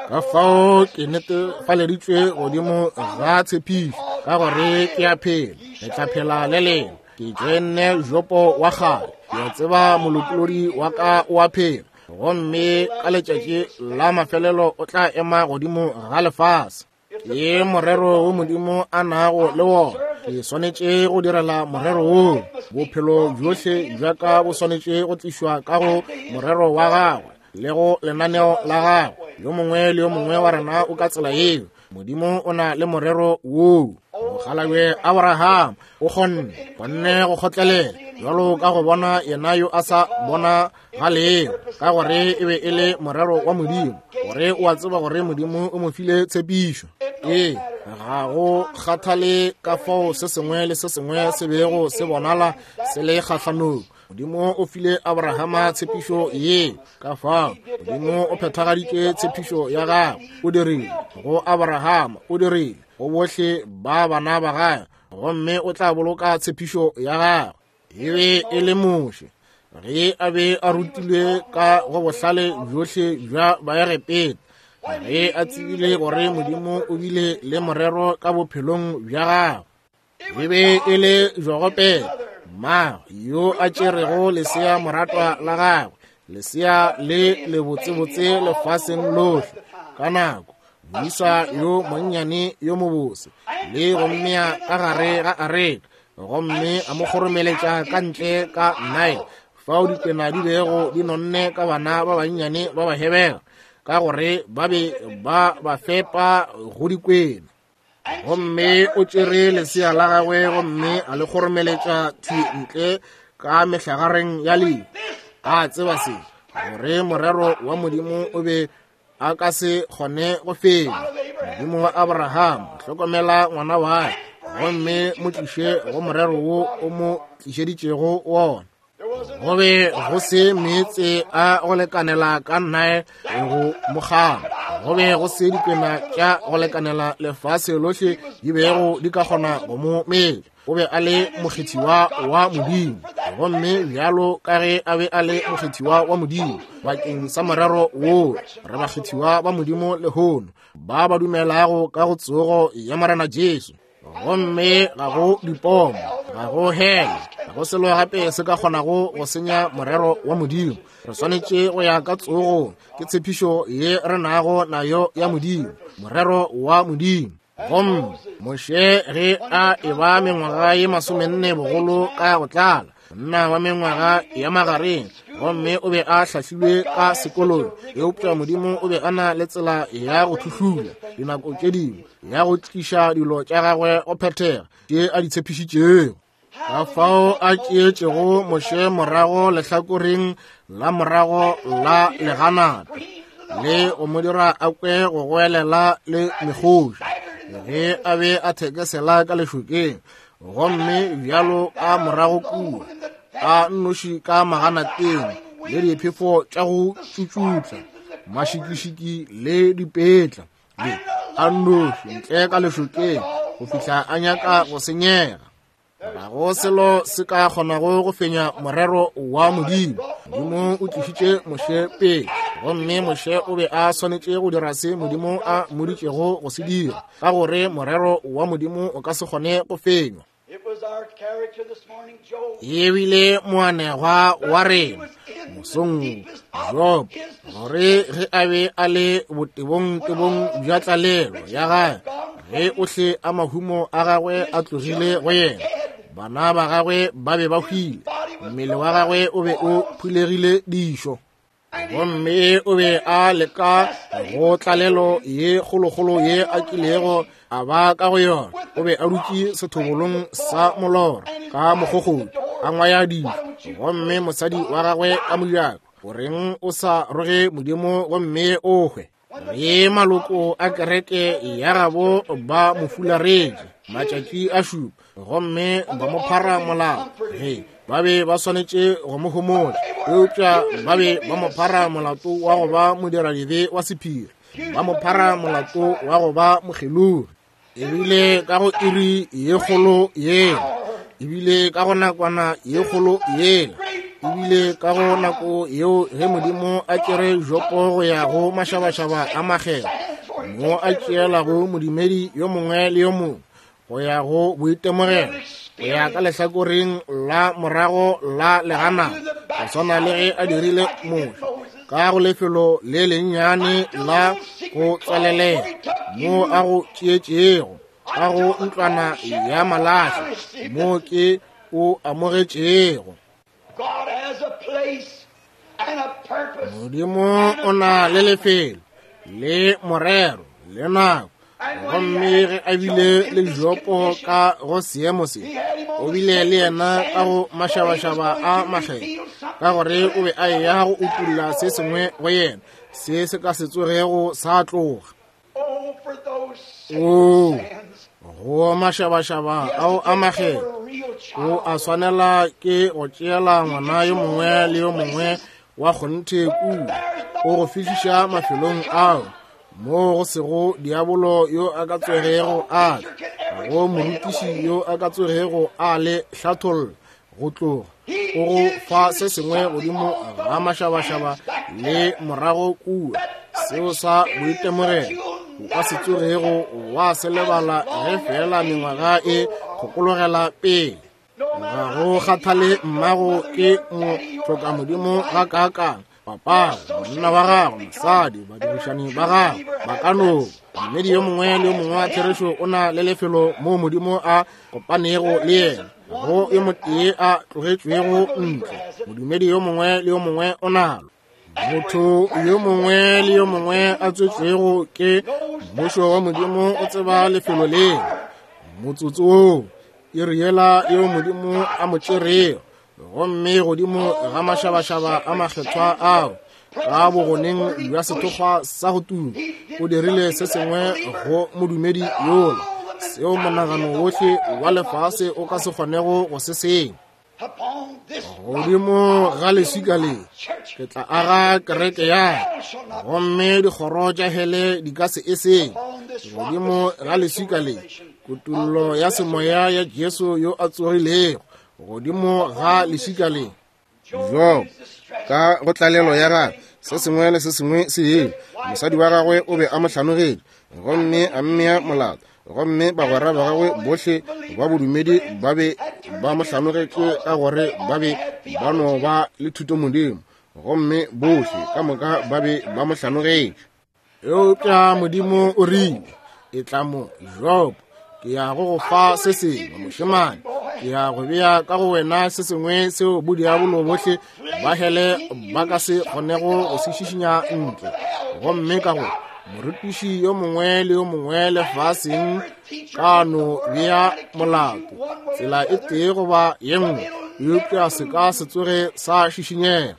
Ka fao ke netefaleditšwe godimo ga tshepišo, ka gore ke a phela, ke tla phela le lena. Ke joenne Jopo wa kgale, ke a tseba molopolodi wa ka o a phela, gomme ka letšatši la mafelelo o tla ema godimo ga lefase. Ke morero wo Modimo a nago le wona. Ke swanetše go direla morero woo. Bophelo bjohle bja ka bo swanetše go tlišwa ka go morero wa gagwe le go lenaneo la gagwe. Yo mongwe le yo mongwe wa rena o ka tsela yeo. Modimo o na le morero woo. Mokgalabje Abraham o kgonne go kgotlelela bjalo ka go bona yena yo a sa bona ga leo, ka gore e be e le morero wa Modimo, gore o a tseba gore Modimo o mo file tshepišo. Ee, ga go kgathale ka fao se sengwe le se sengwe se bego se bonala se le kgahlanong, Modimo o file Abrahama tshepišo ye. Ka fao Modimo o phethagaditše tshepišo ya gagwe, o dirile go Abrahama, o dirile go bohle ba bana ba gagwe, gomme o tla boloka tshepišo ya gagwe. E be e le Moshe, ge a be a rutilwe ka go bohlale bjohle bja Baegepeta, ge a tsebile gore Modimo o bile le morero ka bophelong bja gagwe. E be e le Jogopeta, mma yo a tšerego lesea moratwa la gagwe, lesea le lebotsebotse lefaseng lohle ka nako, moisa yo monnyane yo mobose, le go mmea ka gare ga areka, gomme a mo kgoromeletša ka ntle ka Nile, fao dikwena di bego di nonne ka bana ba bannyane ba Bahebera, ka gore ba be ba ba fepa go dikwena. Gomme o tšere lesea la gagwe gomme a le kgoromeletša thwi ntle ka mehlagareng ya lehu, a tseba se, gore morero wa Modimo o be a ka se kgone go fenya. Modimo wa Abraham, hlokomela ngwana wa gomme mo tliše go morero wo o mo tlišeditšego wona. Go be go se meetse a go lekanela ka Nile go mokgala, go be go se dikwena tša go lekanela lefase lohle di bego di ka kgona go mo metša. O be a le mokgethiwa wa Modimo, gomme bjalo ka ge a be a le mokgethiwa wa Modimo bakeng sa morero woo, re bakgethiwa ba Modimo lehono, ba ba dumelago ka go tsogo ya Morena Jesu. Gomme ga go dipomo, ga go hele, ga go selo gape se ka kgonago go senya morero wa Modimo. Re swanetše go ya ka tsogo, ke tshepišo ye re nago nayo ya Modimo, morero wa Modimo. Gomme Moshe ge a eba mengwaga ye 40 bogolo ka go tlala, monna wa mengwaga ya magareng, gomme o be a hlahlilwe ka sekolong, eupša Modimo o be a na le tsela ya go thuhlula dinako tše dingwe, ya go tliša dilo tša gagwe go phethega tše a di tshepišitšego. Ka fao a tšeetšego Moshe morago lehlakoreng la morago la leganata, le go mo dira a kwe go goelela le mekgoši ge a be a thekesela ka lešokeng, gomme bjalo ka morago kua a nnoši ka maganateng le diphefo tša go tšutšutla, mašikišiki le dipetla, le a nnoši ntle ka lešokeng go fihla a nyaka go senyega. Ga go selo se ka kgonago go fenya morero wa Modimo. Modimo o tlišitše Moshe pele, gomme Moshe o be a swanetše go dira se Modimo a mmoditšego go se dira, ka gore morero wa Modimo o ka se kgone go fenywa. E bile moanegwa wa rena mosong Job, gore ge a be a le botebong-tebong bja tlalelo ya gagwe, ge ohle a mahumo a gagwe a tlogile go yena, bana ba gagwe ba be ba hwile, Mmele wa gagwe o be o phulegile dišo, gomme o be a leka go tlalelo ye kgolokgolo ye a kilego a ba ka go yona. O be a dutše sethobolong sa molora ka mokgokgodi a ngwaya dijo, gomme mosadi wa gagwe ka mojako, goreng o sa roge Modimo gomme o hwe? Ge maloko a kereke ya gabo ba mo fularetše matšatši a šupa gomme ba mo phara molato, ge ba be ba swanetše go mo homotša, eupša ba be ba mo phara molato wa go ba modiradibe wa sephiri, ba mo phara molato wa go ba mokgelogi. Ebile ka go iri ye kgolo yela, ebile ka go nakwana ye kgolo yela, ebile ka go nako yeo ge Modimo a tšere Jopo go ya go mašabašaba a makgethwa, mo a tšeelago modumedi yo mongwe le yo mongwe go ya go boitemogelo, go ya ka lehlakoreng la morago la legana, go swana le ge a dirile Moshe ka go lefelo le lennyane la go tswalelela mo a go tšeetšego ka go ntlwana ya malahle mo ke o amogetšego. Modimo o na le lefelo le morero le nako, gomme ge a bile le Jopo ka go seemo se, o bile le yena ka go mašabašaba a makgethwa, ka gore o be a eya go utulla se sengwe go yena se se ka se tsogego sa tloga. O go mašabašaba ao a makgethwa, o a swanela ke go tšeela ngwana yo mongwe le yo mongwe wa kgonthe kua, o go fihliša mafelong ao mo go sego diabolo yo a ka tsogego a tla, go morutiši yo a ka tsogego a le hlatholla go tloga, o go fa se sengwe godimo ga mašabašaba le morago kua, seo sa boitemogelo o ka se tsogego wa se lebala ge fela mengwaga e kgokologela pele. Ga go kgathale mmago ke mohloka Modimo ga kaakang, papago, monna wa gago, mosadi, badirišani ba gago, ba ka no. Modumedi yo mongwe le yo mongwe wa therešo o na le lefelo moo Modimo a kopanego le yena, go yo motee a tlogetšwego ntle. Modumedi yo mongwe le yo mongwe o nalo. Motho yo mongwe le yo mongwe a tswetšwego ke mmušo wa Modimo o tseba lefelo leo, motsotso woo, iri yela yeo Modimo a mo tšerego, gomme godimo ga mašabašaba a makgethwa ao ka bogoneng bja sethokgwa sa go tuma, o dirile se sengwe go modumedi yola seo monagano wohle wa lefase o ka se kgonego go se senya. Godimo ga leswika le ke tla aga kereke ya ka, gomme dikgoro tša hele di ka se e senye. Godimo ga leswika le, kutullo ya semoya ya Jesu yo a tsogilego, godimo ga leswika le. Job, ka go tlalelo ya gagwe, se sengwe le se sengwe se ile. Mosadi wa gagwe o be a mo hlanogetše gomme a mmea molato, gomme bagwera ba gagwe bohle ba bodumedi ba be ba mo hlanogetše ka gore ba be ba no ba le thutomodimo, gomme bohle ka moka ba be ba mo hlanogetše. Eupša Modimo o rile, etla mo, Job, ke ya go go fa se sengwe, mošemane, ke ya go bea ka go wena se sengwe seo bodiabolo bohle ba hele ba ka se kgonego go se šišinya ntle. Gomme ka go morutiši yo mongwe le yo mongwe lefaseng ka no bea molato tsela e tee goba ye nngwe, eupša se ka se tsoge sa šišinyega.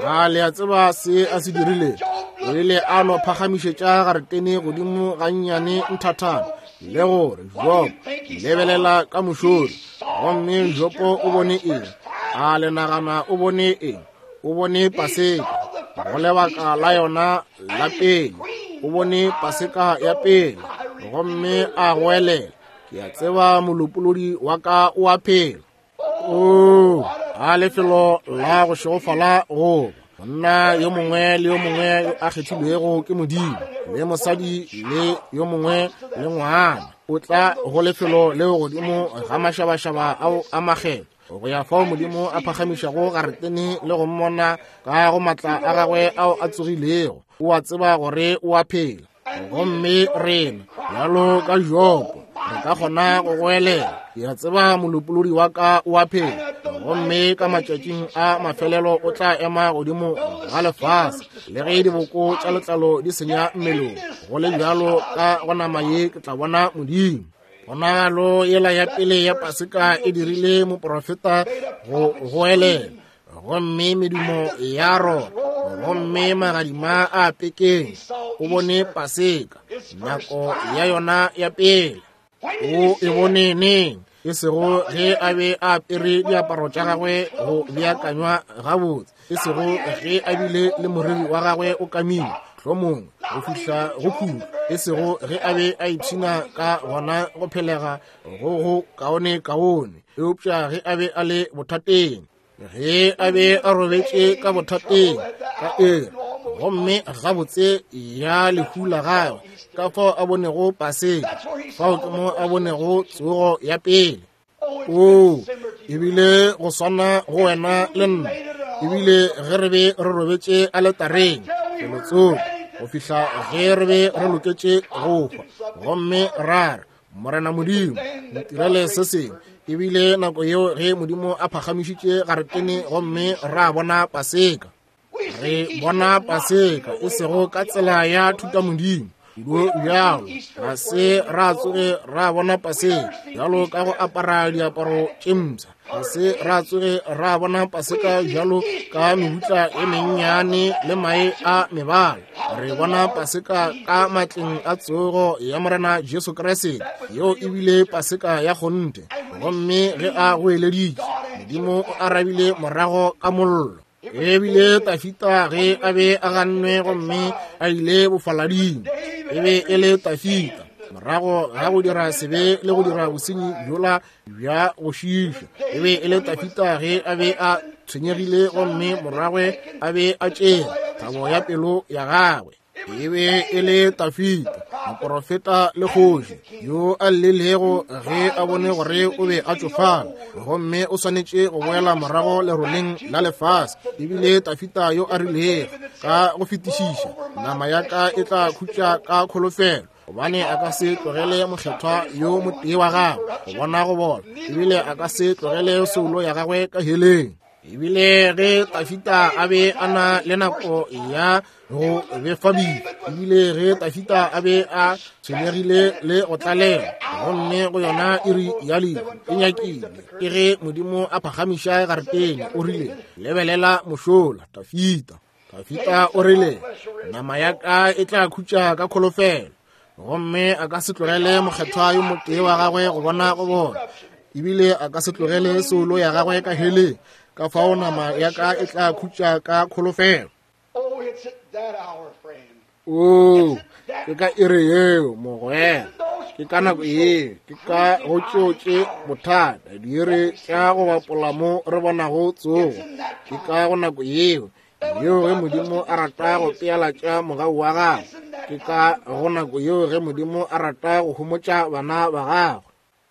A le a tseba se a se dirile? O ile a no phagamišetša garetene godimo gannyane nthathana, le gore Job, lebelela ka mošori. Gomme Jobo o bone eng? A le nagana o bone eng? O bone Paseka go lebaka la yona la pele. O bone Paseka ya pele, gomme a goelela, ke a tseba molopolodi wa ka o a phela. O a lefelo la go šegofala goba monna yo mongwe le yo mongwe yo a kgethilwego ke Modimo, le mosadi le yo mongwe le ngwana, o tla go lefelo leo godimo ga mašabašaba ao a makgetho, go ya fao Modimo a phagamišago garetene le go mmona ka go matla a gagwe ao a tsogilego. O a tseba gore o a phela. Gomme rena bjalo ka Jobo Re ka kgona go goelela, ke a tseba Molopolodi wa ka o a phela, gomme ka matšatšing a mafelelo o tla ema godimo ga lefase. Le ge diboko tša letlalo di senya mmelong, go le bjalo ka go nama ye ke tla bona Modimo. Ponagalo yela ya pele ya Paseka e dirile moprofeta go goelela, gomme medumo ya rora, gomme magadima a pekeng. O bone Paseka, nako ya yona ya pele. O e bone neng? E sego ge a be a apere diaparo tša gagwe go beakanywa gabotse, e sego ge a bile le moriri wa gagwe o kamile hlomong go fihla go khutlo, e sego ge a be a ipshina ka gona go phelega go go kaone kaone, eupša ge a be a le bothateng, ge a be a robetše ka bothateng ka ere, gomme gabotse ya lehu la gagwe, ka fao a bonego Paseka, fao ke mo a bonego tsogo ya pele. O ebile go swana go wena le nna, ebile ge re be re robetše aletareng felotsoko go fihla ge re be re loketše go hwa, gomme ra re, Morena Modimo, ntirele se sengwe. Ebile nako yeo ge Modimo a phagamišitše garetene gomme ra bona Paseka. Re bona Paseka e sego ka tsela ya thutamodimo, kudu bjalo ga se ra tsoge ra bona Paseka bjalo ka go apara diaparo tše mpsha, ga se ra tsoge ra bona Paseka bjalo ka mebutla e mennyane le mae a mebala. Re bona Paseka ka matleng a tsogo ya Morena Jesu Kriste, yeo ebile Paseka ya kgonthe. Gomme ge a goeleditše, Modimo o arabile morago ka mollo. Ebile Tafita ge a be a gannwe gomme a ile bofalading, e be e le Tafita morago ga go dira sebe le go dira bosenyi bjola bja go šiiša. E be e le Tafita ge a be a tshwenyegile gomme moragwe a be a tšea thabo ya pelo ya gagwe. E be e le Tafita, moprofeta le kgoši, yo a llelego ge a bone gore o be a tšofala gomme o swanetše go boela morago leroleng la lefase. Ebile Tafita yo a rilego ka go fetišiša, nama ya ka e tla khutša ka kholofelo, gobane a ka se tlogele mokgethwa yo motee wa gagwe go bona go bola, ebile a ka se tlogele soulo ya gagwe ka heleng. Ebile ge Tafita a be a na le nako ya go befa bile, ebile ge Tafita a be a tshwenyegile le go tlalela, gomme go yona iri ya lehu e nyakile, ke ge Modimo a phagamiša garetene, o rile, lebelela mošola, Tafita. Tafita o rile, nama ya ka e tla khutša ka kholofelo, gomme a ka se tlogele mokgethwa yo motee wa gagwe go bona go bona, ebile a ka se tlogele soulo ya gagwe ka heleng. Ka fao nama ya ka e tla khutša ka kholofelo. Oo, ke ka iri yeo, mogwera, ke ka nako yeo, ke ka go tšeo tše bothata, diiri tša go bapola mo re bonago tsogo. Ke ka go nako yeo, yeo ge Modimo a rata go pealatša mogau wa gagwe. Ke ka go nako yeo ge Modimo a rata go homotša bana ba gagwe.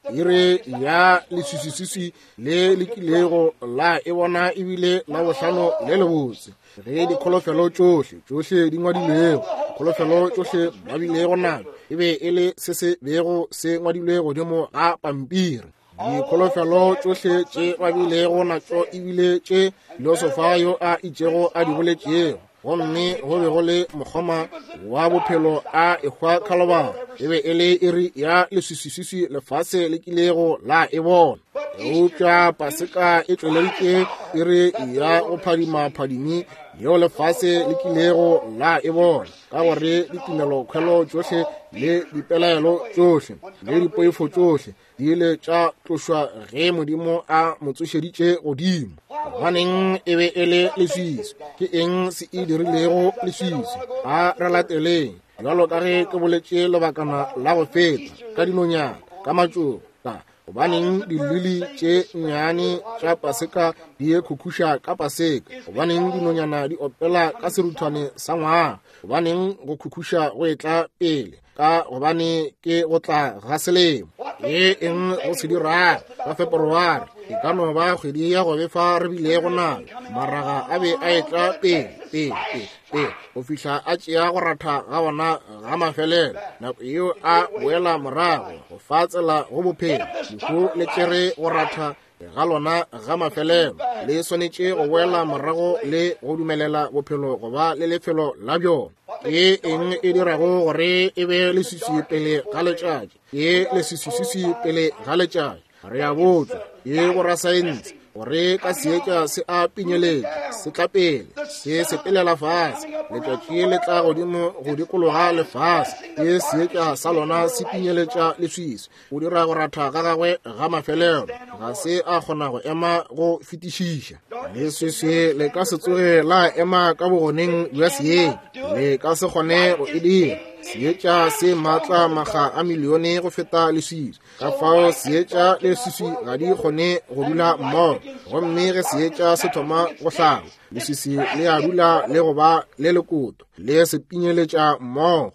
Iri ya leswiswiswiswi le le kilego la e bona ebile la bohlano le lebotse, ge dikholofelo tšohle tšohle di ngwadilwego, kholofelo tšohle ba bilego nayo e be e le se se bego se ngwadilwe godimo ga pampiri. Dikholofelo tšohle tše ba bilego natšo ebile tše filosofa yo a itšego a di boletšego, gomme go be go le mokgoma wa bophelo a ehwa Khalobara. E be e le iri ya leswiswiswiswi lefase le kilego la e bona. Eupša Paseka e tšweleditše iri ya go phadima phadimi yeo lefase le kilego la e bona, ka gore ditumelokhwelo tšohle le dipelaelo tšohle le dipoifo tšohle di ile tša tlošwa ge Modimo a mo tsošeditše godimo. Gobaneng e be e le leswiswi? Ke eng se e dirilego leswiswi? A re lateleng, bjalo ka ge ke boletše lebakana la go feta, ka dinonyana, ka matšoba. Gobaneng dilili tše nnyane tša Paseka di khukhuša ka Paseka? Gobaneng dinonyana di opela ka seruthwane sa ngwaga? Gobaneng go khukhuša go etla pele? Ka gobane ke go tla ga selemo. Ke eng go se dirago ka Feperware? E ka no ba kgwedi ya go befa re bilego nayo. Maraga a be a etla pele, pele, pele, pele, go fihla a tšea go ratha ga ona ga mafelelo. Nako yeo a boela morago go fa tsela go bophelo. Lehu le tšere go ratha ga lona ga mafelelo, le swanetše go boela morago le go dumelela bophelo go ba le lefelo la bjona. Ke eng e dirago gore e be leswiswi pele ga letšatši? Ke leswiswiswi pele ga letšatši. Re a botšwa ke borasaense gore ka seetša se a pinyeletša, se tla pele, se sepelela fase, letšatši le tla godimo go dikologa lefase, ke seetša sa lona se pinyeletša leswiswi. O dira go ratha ga gagwe ga mafelelo, ga se a kgona go ema go fetišiša. Leswiswi le ka se tsoge la ema ka bogoneng bja seetša, le ka se kgone go e dira. Seetša se maatla makga a milione go feta leswiswi. Ka fao seetša le leswiswi ga di kgone go dula mmogo, gomme ge seetša se thoma go hlaba, leswiswi le a dula le go ba le lekoto, le se pinyeletša mmogo.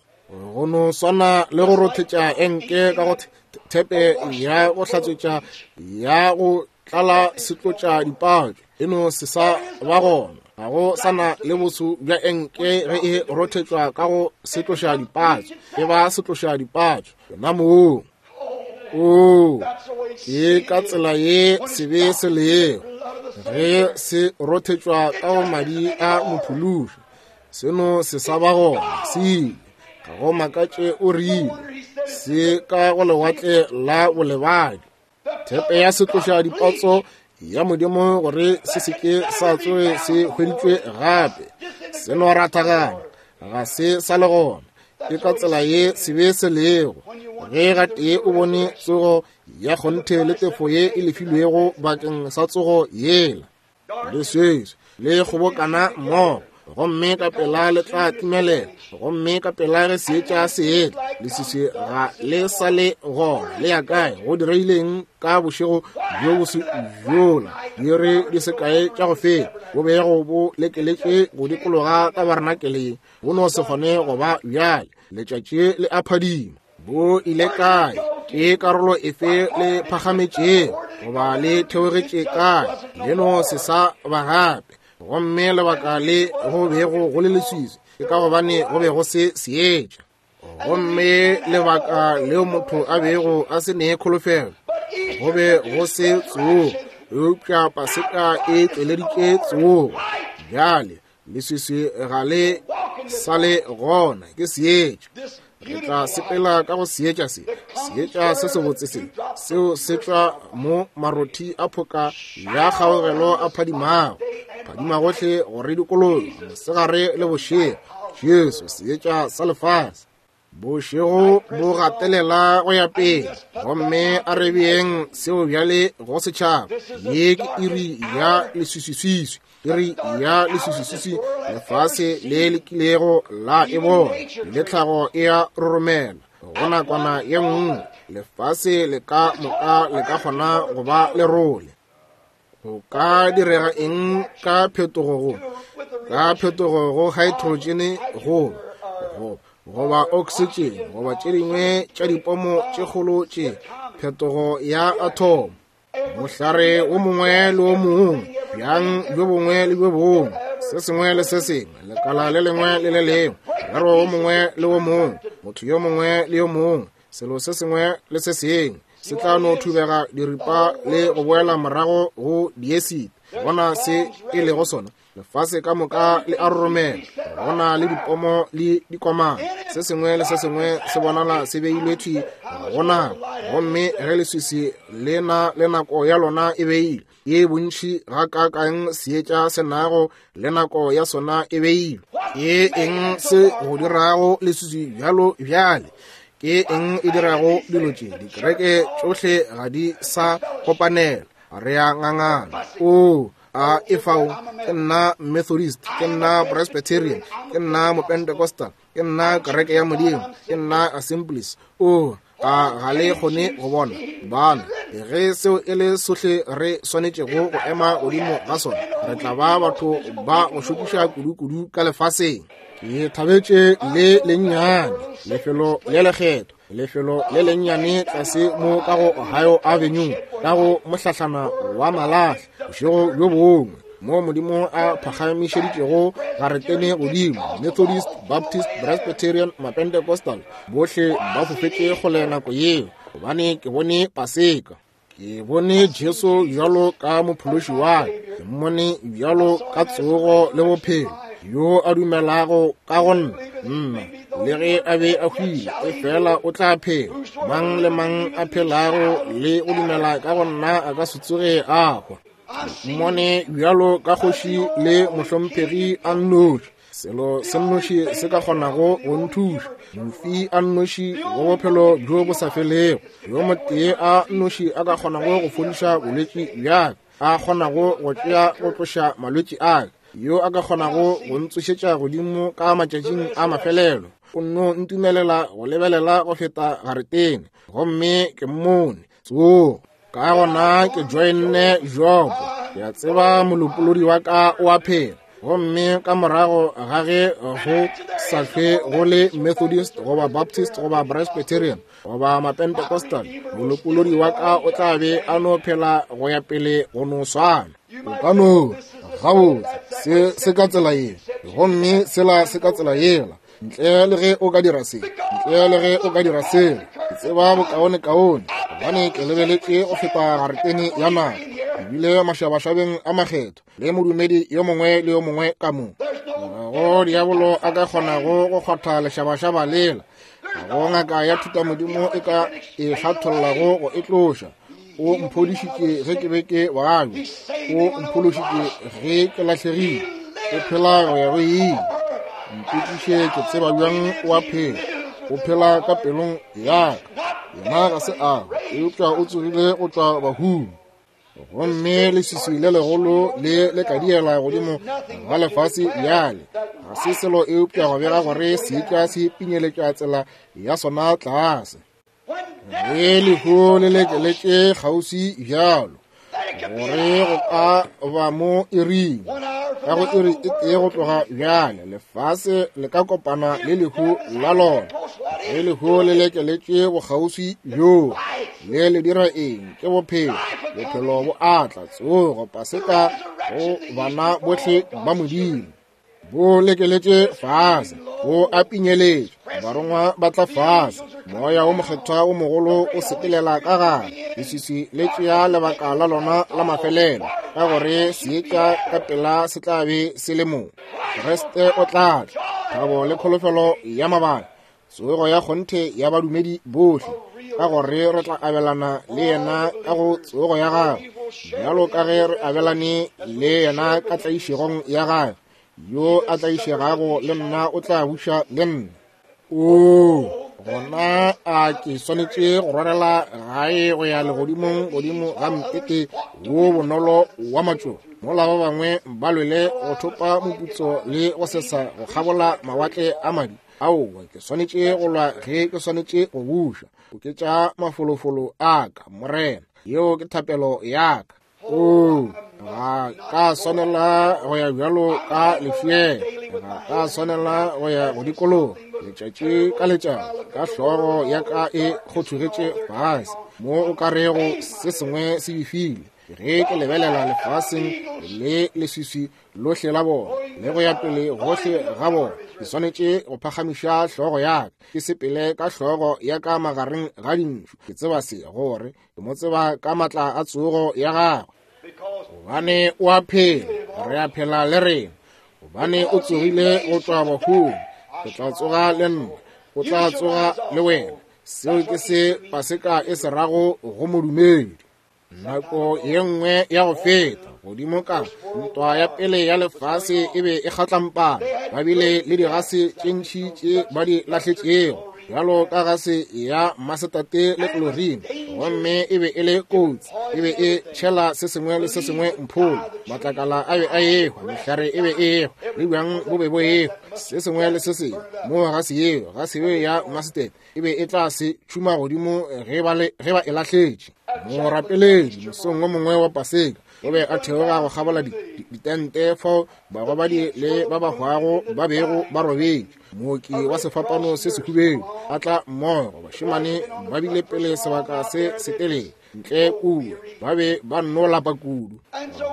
Go no swana le go rothetša enke ka go thepe ya go hlatswetša ya go tlala setlotša dipatso, e no se sa ba gona. Ga go sana le boso bja enke ge e rothetšwa ka go setloša dipatso, e ba setloša dipatso yona moo. Oo, ke ka tsela ye sebe se lego ge se rothetšwa ka go madi a mophološi, seno se sa ba gona, se ile. Ga go makatše o rile se ka go lewatle la bolebadi. Thepe ya setloša dipotso ya Modimo gore se se ke sa tsoge se hweditšwe gape, se no rathagana, ga se sa le gona. Ke ka tsela ye sebe se lego. Ge gatee o bone tsogo ya kgonthe le tefo ye e lefilwego bakeng sa tsogo yela, leswiswi le kgobokana mmogo, gomme ka pela le tla timelela, gomme ka pela ge seetša se etla, leswiswi ga le sa le gona. Le ya kae? Go direileng ka bošego bjo bo se bjola diiri di se kae tša go feta, bo bego bo lekeletše go dikologa tabarenakele, bo no se kgone go ba bjale. Letšatši le a phadima. Bo ile kae? Ke karolo efe le phagametšego goba le theogetše kae? Le no se sa ba gape. Gomme lebaka le go bego go le leswiswi ke ka gobane go be go se seetša. Gomme lebaka leo motho a bego a se ne kholofelo, go be go se tsogo, eupša Paseka e tšweleditše tsogo. Bjale leswiswi ga le sa le gona, ke seetša. Re tla sepela ka go seetša se, seetša se sebotse se, seo se tšwa mo marothi a phoka ya kgaogelo a phadimago, phadima gohle go re dikologa mosegare le bošego. Jesu, seetša sa lefase. Bošego bo gatelela go ya pele, gomme a re beeng seo bjale go setšhaba. Ye ke iri ya leswiswiswiswi, iri ya leswiswiswiswi lefase le le kilego la e bona, le tlhago e a roromela. Go nakwana ye nngwe lefase le ka moka le ka kgona go ba lerole. Go ka direga eng ka phetogo go ka phetogo go hydrogen go go goba oxygen goba tše dingwe tša dipomo tše kgolo tše, phetogo ya athomo, mohlare wo mongwe le wo mongwe, bjang bjo bongwe le bjo bongwe, se sengwe le se sengwe, lekala le lengwe le le lengwe, morero wo mongwe le wo mongwe, motho yo mongwe le yo mongwe, selo se sengwe le se sengwe se tla no thubega diripa le go boela morago go diesite. Bona se e lego sona, lefase ka moka le a roromela, go na le dipomo le dikomana, se sengwe le se sengwe se bonala se beilwe thwi go nako. Gomme ge leswiswi le na le nako ya lona e beilwe, ye bontši gakaakang seetša se nago le nako ya sona e beilwe. Ke eng se go dirago leswiswi bjalo bjale? Ke eng e dirago dilo tše? Dikereke tšohle ga di sa kopanela, re a ngangana. Oo, a e fao, ke nna Methodist, ke nna Presbyterian, ke nna Mopentecostal, ke nna kereke ya Modimo, ke nna Assemblies. Oo, a ga le kgone go bona bana? Ge seo e le sohle re swanetšego go ema godimo ga sona, re tla ba batho ba go šokiša kudu-kudu ka lefaseng. Ke thabetše le lennyane lefelo le lekgetho, lefelo le lennyane tlase mo ka go Ohio Avenue, ka go mohlahlana wa malahla, bošego bjo bongwe, mo Modimo a phagamišeditšego garetene godimo. Methodist, Baptist, Presbyterian, Mapentecostal, bohle ba fofetše kgole nako yeo. gobane ke bone Paseka. Ke bone Jesu bjalo ka mophološi wa ka, ke mmone bjalo ka tsogo le bophelo, yo a dumelago ka go nna, nna, le ge a be a hwile, efela o tla phela. Mang le mang a phelago le go dumela ka go nna a ka se tsoge a hwa. Mmone bjalo ka kgoši le mohlomphegi a nnoši, selo se nnoši se ka kgonago go nthuša, mofi a nnoši wa bophelo bjo bo sa felego, yo motee a nnoši a ka kgonago go fodiša bolwetši bja ka, a kgonago go tšea go tloša malwetši a ka, yo a ka kgonago go ntsošetša godimo ka matšatšing a mafelelo. O nno ntumelela go lebelela go feta garetene, gomme ke mmone tsogo. Ka gona ke joinne Jobo, ke a tseba molopolodi wa ka o a phela. Gomme ka morago ga ge go sa hlwe go le Methodist goba Baptist goba Presbyterian goba Mapentecostal, molopolodi wa ka o tla be a no phela go ya pele go no swana. O ka no gabotse se se ka tsela ye, gomme sela se ka tsela yela, ntle le ge o ka dira se, ntle le ge o ka dira sela. Ke tseba bokaonekaone, gobane ke lebeletše go feta garetene ya naga, ebile mašabašabeng a makgetho le modumedi yo mongwe le yo mongwe ka mo. Ga go diabolo a ka kgonago go kgwatha lešabašaba lela, ga go ngaka ya thutamodimo e ka e hlathollago go e tloša. O mphodišitše ge ke be ke babja, o mphološitše ge ke lahlegile, o phela go ya go ile. Mpotšiše ke tseba bjang o a phela, o phela ka pelong ya ka. Yena ga se a hwa, eupša o tsogile go tšwa bahung. Gomme leswiswi le legolo le le ka diela godimo ga lefase bjale, ga se selo eupša go bega gore seetša se pinyeletša tsela ya sona tlase. Ge lehu le lekeletše kgauswi bjalo, gore go ka ba mo iring, ka go iri e tee go tloga bjale, lefase le ka kopana le lehu la lona. Ge lehu le lekeletše bokgauswi bjoo, le le dira eng? Ke bophelo. Bophelo bo atla, tsogo, Paseka go bana bohle ba Modimo. Bo lekeletše fase, bo a pinyeletše, barongwa ba tla fase, moya wo mokgethwa wo mogolo o sepelela ka gare, leswiswi le tšea lebaka la lona la mafelelo, ka gore seetša ka pela se tla be se le mo. Kriste o tla tla, thabo le kholofelo ya mabaka, tsogo ya kgonthe ya badumedi bohle, ka gore re tla abelana le yena ka go tsogo ya gagwe, bjalo ka ge re abelane le yena ka tlaišegong ya gagwe. Yo a tlaišegago le nna o tla buša le nna. Oo, gona a ke swanetše go rwarela gae go ya legodimong godimo ga mpete wo bonolo wa matšoba, mola ba bangwe ba lwele go thopa moputso le go sesa go kgabola mawatle a madi. Aowa, ke swanetše go lwa ge ke swanetše go buša. Oketša mafolofolo a ka, Morena. Yeo ke thapelo ya ka. Oo, ga ka swanela go ya bjalo ka lefeela, ga ka swanela go ya go dikologa letšatši ka letšatši ka hlogo ya ka e kgothogetše fase, mo o ka rego se sengwe se befile. Ge ke lebelela lefaseng le leswiswi lohle la bona le go ya pele gohle ga bona, ke swanetše go phagamiša hlogo ya ka, ke sepele ka hlogo ya ka magareng ga dintšu. Ke tseba se, gore ke mo tseba ka matla a tsogo ya gagwe, gobane o a phela, re a phela le rena, gobane o tsogile go tšwa bahung. Ke tla tsoga le nna, o tla tsoga le wena. Seo ke se Paseka e se rago go modumedi. Nako ye nngwe ya go feta godimo ka ntwa ya pele ya lefase e be e kgatlampana, ba bile le digase tše ntši tše ba di lahletšego, bjalo ka gase ya masetate le klorine, gomme e be e le kotsi, e be e tšhela se sengwe le se sengwe mpholo, matlakala a be a ehwa, mehlare e be e ehwa, le bjang bo be bo ehwa, se sengwe le se sengwe. Mo gase yeo, gase yeo ya masetate e be e tla se tšhuma godimo ge ba e lahletše. Morapeledi mosong wo mongwe wa Paseka o be a theoga go kgabola ditente fao bagobadi le ba ba hwago ba bego ba robetše. Mooki wa sefapano se sehubedu a tla mmogo, bašemane ba bile pele sebaka se setelele. ntle kua, ba be ba nno lapa kudu.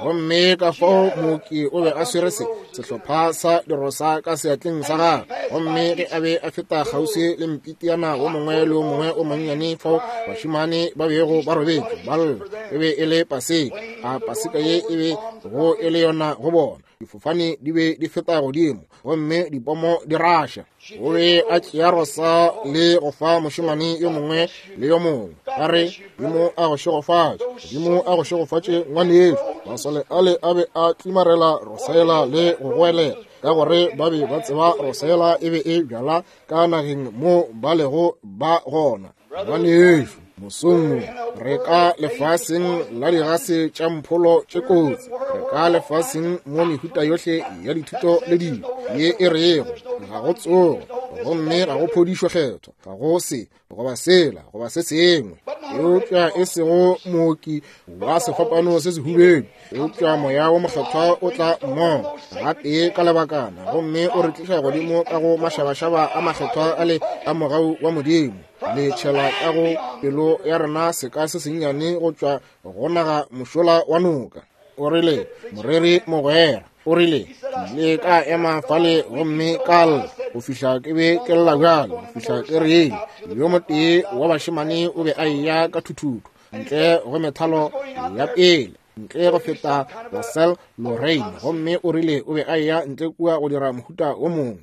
Gomme ka fao mooki o be a swere se sehlopha sa dirosa ka seatleng sa gagwe, gomme ge a be a feta kgauswi le mpitiana wo mongwe le wo mongwe o monnyane fao bašemane ba bego ba robetše ba lla, e be e le Paseka. A Paseka ye e be go e le yona go bona. Difofane di be di feta godimo gomme dipomo di raša. O be a tšea rosa le go fa mošemane yo mongwe le yo mongwe, a re, Modimo a go šegofatše, Modimo a go šegofatše ngwanešu. Masole ale a be a tlimarela rosela le go goelela, ka gore ba be ba tseba rosela e be e bjala ka nageng mo ba lego ba gona. Ngwanešu, mosong re ka lefaseng la digase tša mpholo tše kotsi, re ka lefaseng mo mehuta yohle ya dithuto le dilo ye e rego ga go tsogo gomme ga go phodišo kgethwa, ga go se goba sela goba se sengwe, eupša e sego mooki wa sefapano se sehubedu, eupša Moya wo Mokgethwa o tla mmogo gatee ka lebakana gomme o re tliša godimo ka go mašabašaba a makgethwa a le a mogau wa Modimo, le tšhela ka go pelo ya rena seka se sennyane go tšwa go naga mošola wa noka. O rile, moreri mogwera, o rile, ke ile ka ema fale gomme ka lla go fihla ke be ke lla bjalo, go fihla ke rile, yo motee wa bašemane o be a eya ka thuthuthu ntle go methalo ya pele, ntle go feta Russell Lorraine, gomme o rile o be a eya ntle kua go dira mohuta wo mongwe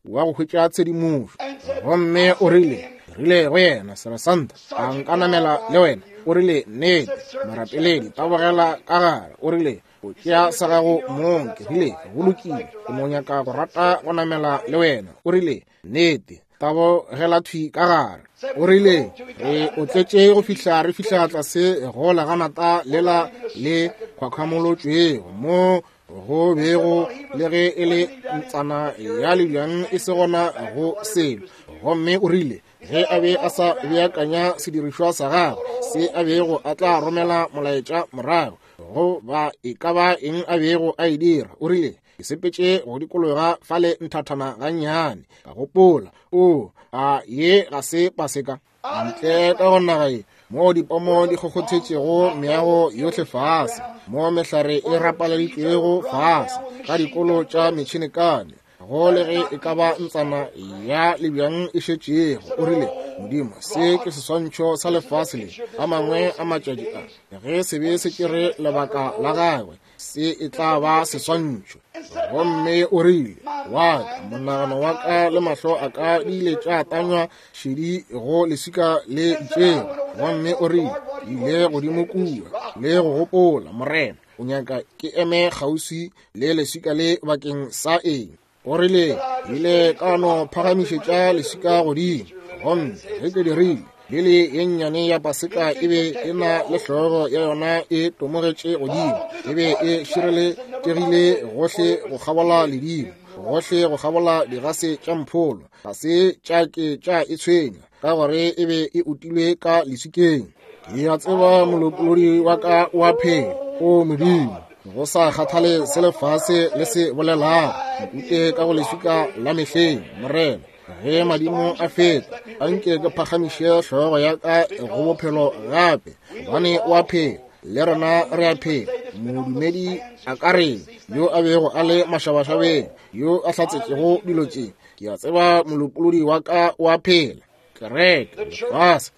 wa go hwetša tshedimošo. Gomme o rile, rile go yena, Seresanta, a nka namela le wena? O rile, nnete, morapeledi, tabogela ka gare. O rile, o tšea sa gago mong. Ke rile, go lokile, ke no nyaka go rata go namela le wena. O rile, nnete, tabogela thwi ka gare. O rile, re o tletše go fihla re fihla tlase go leganata lela le khwakhwamolotšwego mo go bego le ge e le ntsana ya lebjang e se gona go selo. Gomme o rile ge a be a sa beakanya sedirišwa sa gagwe se a bego a tla romela molaetša morago go ba e ka ba eng a bego a e dira, o rile ke sepetše go dikologa fale nthathana gannyane, ka gopola, o a ye ga se Paseka ntle ka go naga ye moo dipomo di kgokgothetšego meago yohle fase, mo mehlare e rapaleditšwego fase ka dikolo tša metšhinekane, go le ge e ka ba ntsana ya lebjang e šetšego. O rile, Modimo, se ke seswantšho sa lefase le a mangwe a matšatši a, ge sebe se tšere lebaka la gagwe, se e tla ba seswantšho. Gomme o rile, wa ka monagano wa ka le mahlo a ka di ile tša tanywa šedi go leswika le itšego. Gomme o rile, ke ile godimo kua le go gopola, Morena, o nyaka ke eme kgauswi le leswika le bakeng sa eng? O rile, ile ka no phagamišetša leswika godimo. Gomme ge ke dirile, lili ye nnyane ya Paseka e be e na le hlogo ya yona e tomogetše godimo, e be e šireletšegile gohle go kgabola ledimo, gohle go kgabola digase tša mpholo, ga se tša ke tša e tshwenya, ka gore e be e utilwe ka leswikeng. Ke a tseba molopolodi wa ka wa phela, o Modimo, go sa kgathale se lefase le se bolelago, nkute ka go leswika la mehleng, Morena. Ge madimo a feta, a nke ke phagamiše hlogo ya ka go bophelo gape, gobane o a phela, le rena re a phela. Modumedi a ka reng, yo a bego a le mašabašabeng, yo a hlatsetšego dilo tše? Ke a tseba molopolodi wa ka o a phela. Kereke, lefase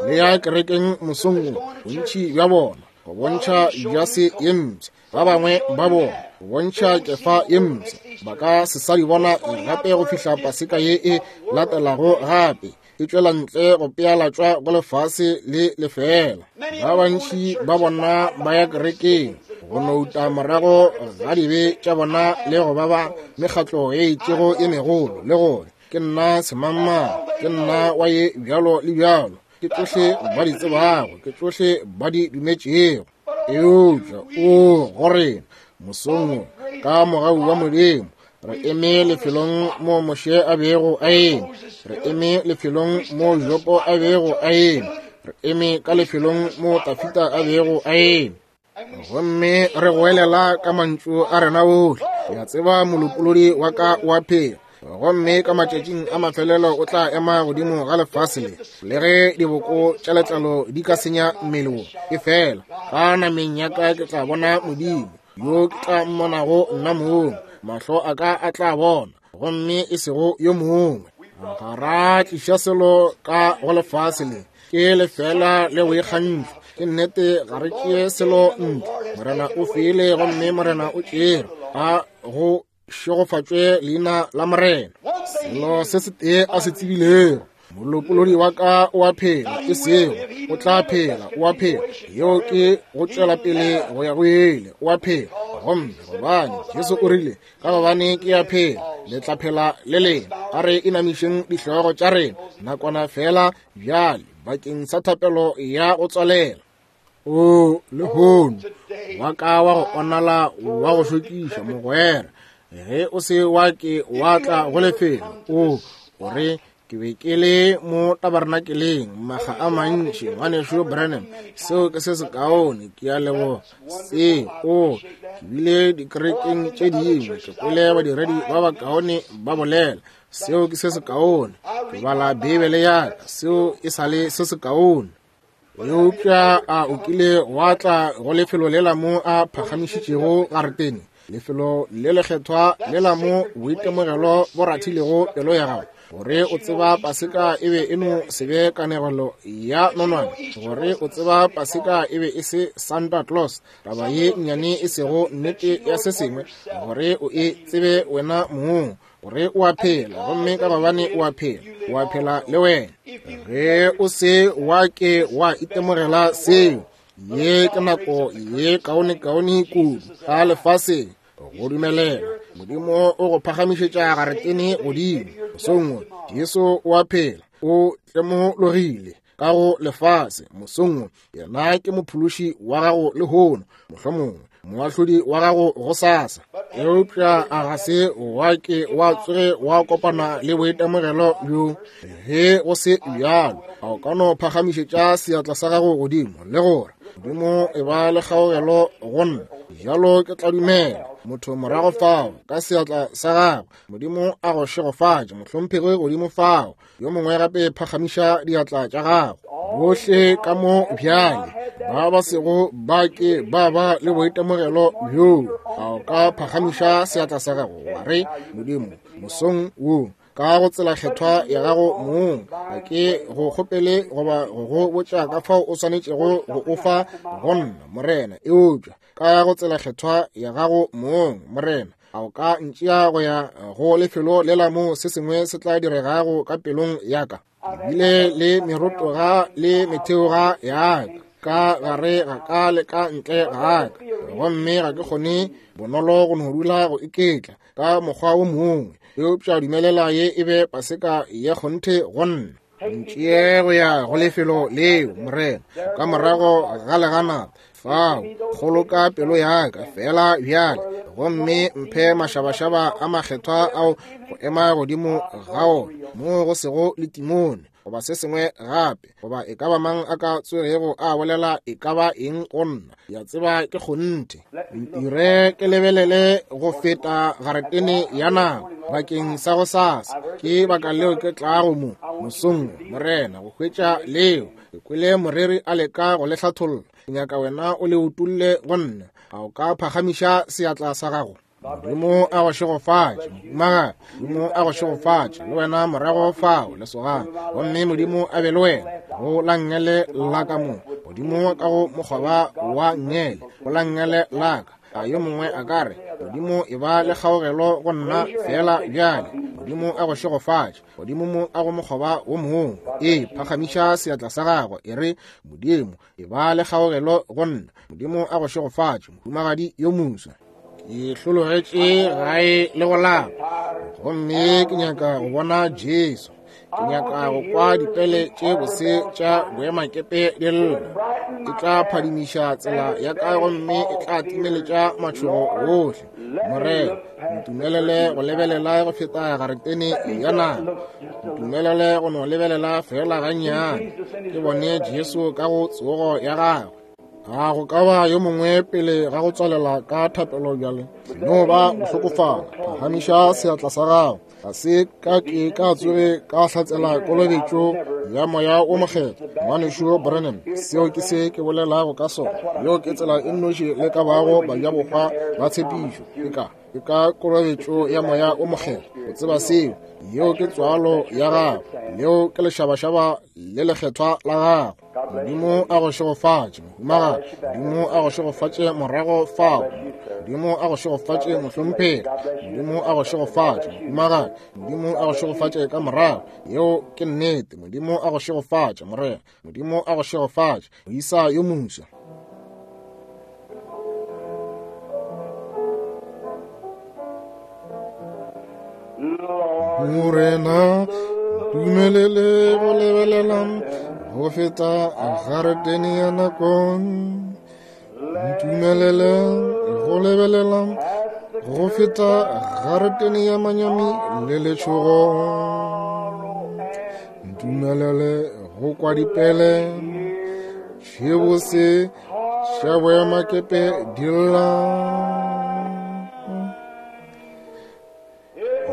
le ya kerekeng mosong wo, bontši bja bona go bontšha jase ye mpsha, ba bangwe ba bona go bontšha kefa ye mpsha, ba ka se sa di bona gape go fihla Paseka ye e latelago gape e tšwela ntle go pealatšwa go lefase le lefeela. Ba bantši ba bona ba ya kerekeng go no uta morago ga dibe tša bona le go ba ba mekgatlo e itšego e megolo, le gore ke nna semangmang, ke nna wa ye bjalo le bjalo, ke tšohle ba di tsebago, ke tšohle ba di dumetšego. Eupša o go rena mosong wo, ka mogau wa Modimo, re eme lefelong mo Moshe a bego a eme, re eme lefelong mo Jopo a bego a eme, re eme ka lefelong mo Tafita a bego a eme. Gomme re goelela ka mantšu a rena ohle, ke a tseba molopolodi wa ka wa phela. Gomme ka matšatšing a mafelelo o tla ema godimo ga lefase le, le ge diboko tša letlalo di ka senya mmele wo, efela ka nameng ya ka ke tla bona Modimo, yo ke tla mmonago nna mong, mahlo a ka a tla bona, gomme e sego yo mongwe. Ga ra tliša selo ka go lefase le, ke lefela le boikgantšho. Ke nnete, ga re tšee selo ntle. Morena o file gomme Morena o tšere, a go šegofatšwe leina la Morena. Selo se setee a se tsebilego, molopolodi wa ka o a phela, e sego o tla phela, o a phela. Yeo ke go tšwela pele go ya go ele, o a phela. Gomme gobane Jesu o rile, ka gobane ke a phela, le tla phela le lena. A re inamišeng dihlogo tša rena nakwana fela bjale bakeng sa thapelo ya go tswalela. O lehono wa ka wa go onala wa go šokiša mogwera, ge o se wa ke wa tla go lefelo, o o re ke be ke le mo tabernakeleng maga a mantši, ngwanešu Branham, seo ke se sekaone, ke a leboga. Se o ke bile dikerekeng tše dingwe, ke kwele badiredi ba bakaone ba bolela, seo ke se sekaone. Ke bala Beibele ya ka, seo e sa le se sekaone. Eupša a o kile wa tla go lefelo lela mo a phagamišitšego garetene, lefelo le lekgethwa lela mo boitemogelo bo rathilego pelo ya gago, gore o tseba Paseka e be e no se be kanegelo ya nonwane, gore o tseba Paseka e be e se Santa Claus, taba ye nnyane e sego nnete ya se sengwe, gore o e tsebe wena mong, gore o a phela, gomme ka gobane o a phela, o a phela le wena. Ge o se wa ke wa itemogela seo, ye ke nako ye kaonekaone kudu ka lefaseng go dumelela Modimo o go phagamišetša garetene godimo. Mosong wo Jesu o a phela, o tlemologile ka go lefase. Mosong wo yena ke mophološi wa gago lehono, mohlomongwe moahlodi wa gago gosasa. Eupša a ga se wa ke wa tsoge wa kopana le boitemogelo bjo? Ge go se bjalo, a o ka no phagamišetša seatla sa gago godimo le gore, Modimo e ba le kgaogelo go nna, bjalo ke tla dumela. Motho morago fao ka seatla sa gagwe, Modimo a go šegofatše, mohlomphegi godimo fao. Yo mongwe gape phagamiša diatla tša gago. Bohle ka mo bjale ba ba sego ba ke ba ba le boitemogelo bjoo, a o ka phagamiša seatla sa gago wa re, Modimo, mosong wo ka go tsela kgethwa ya gago mong, ga ke go kgopele goba go go botša ka fao o swanetšego go o fa go nna, Morena, eupša ka go tsela kgethwa ya gago mong, Morena, a o ka ntšea go ya go lefelo lela mo se sengwe se tla diregago ka pelong ya ka? Ke bile le merotoga le metheoga ya ka gare ga ka le ka ntle ga ka, gomme ga ke kgone bonolo go no dula go iketla ka mokgwa wo mongwe, eupša dumelela ye e be Paseka ya kgonthe go nna. Ntšee go ya go lefelo leo, Morena, ka morago ga leganata fao, kgoloka pelo ya ka fela bjale, gomme mphe mašabašaba a makgethwa ao go ema godimo ga ona, moo go sego le timone goba se sengwe gape, goba e ka ba mang a ka tsogego a bolela e ka ba eng go nna, ya tseba ke kgonthe. Ntire ke lebelele go feta garetene ya nako bakeng sa go sasa. Ke baka leo ke tlago mo mosong, Morena, go hwetša leo. Ke kwele moreri a leka go le hlatholla. Ke nyaka wena o le utolle go nna. A o ka phagamiša seatla sa gago? Modimo a go šegofatše, mohumagadi. Modimo a go šegofatše, le wena morago fao, lesogana. Gomme Modimo a be le wena go la nngele la ka mo, godimo ka go mokgoba wa nngele, go la nngele la ka. A yo mongwe a ka re, Modimo e ba le kgaogelo go nna feela bjale. Modimo a go šegofatše, godimo mo ka go mokgoba wo mongwe. Ee, phagamiša seatla sa gago, e re, Modimo e ba le kgaogelo go nna. Modimo a go šegofatše, mohumagadi yo moswa. Ke hlologetše gae le go lapa, gomme ke nyaka go bona Jesu. Ke nyaka go kwa dipele tše bose tša boemakepe di lla. E tla phadimiša tsela ya ka gomme e tla timeletša matšhogo ohle. Morena, ntumelele go lebelela go feta garetene ya naga. Ntumelele go no lebelela fela gannyane, ke bone Jesu ka go tsogo ya gagwe. A go ka ba yo mongwe pele ga go tswalela ka thapelo bjale? No ba go hlokofala, phagamiša seatla sa gago. Ga se ka ke ka tsoge ka hlatsela kolobetšo ya Moya wo Mokgethwa. Ngwanešu Branham, seo ke se ke bolelago ka sona. Yeo ke tsela e nnoši le ka bago bajabohwa ba tshepišo, ke ka ke ka kolobetšo ya Moya wo Mokgethwa. O tseba seo. Yeo ke tswalo ya gago. Leo ke lešabašaba le lekgethwa la gago. Modimo a go šegofatše, mohumagadi. Modimo a go šegofatše morago fao. Modimo a go šegofatše, mohlomphegi. Modimo a go šegofatše, mohumagadi. Modimo a go šegofatše ka morago. Yeo ke nnete. Modimo a go šegofatše, morena. Modimo a go šegofatše, moisa yo moswa. Morena, dumelele go lebelela go feta garetene ya nako. Ntumelele go lebelela go feta garetene ya manyami le letšhogo. Ntumelele go kwa dipele tšhebose tša boemakepe di lla.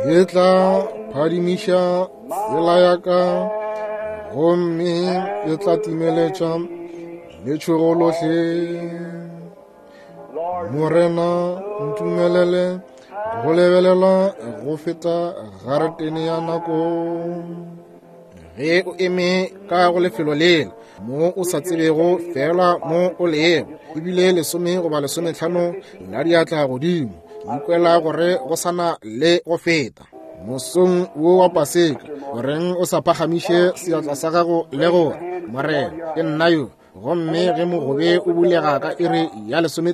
E tla phadimiša tsela ya ka gomme e tla timeletša letšhogo lohle. Morena, ntumelele go lebelela go feta garetene ya nako. Ge o eme ka go lefelo lela mo o sa tsebego fela mo o lego, ebile 10 goba 15 la diatla godimo, ke ikwela gore go sana le go feta. Mosong wo wa Paseka, goreng o sa phagamiše seatla sa gago le gore, Morena, ke nna yo. Gomme ge mogobe o bulega ka iri ya 11,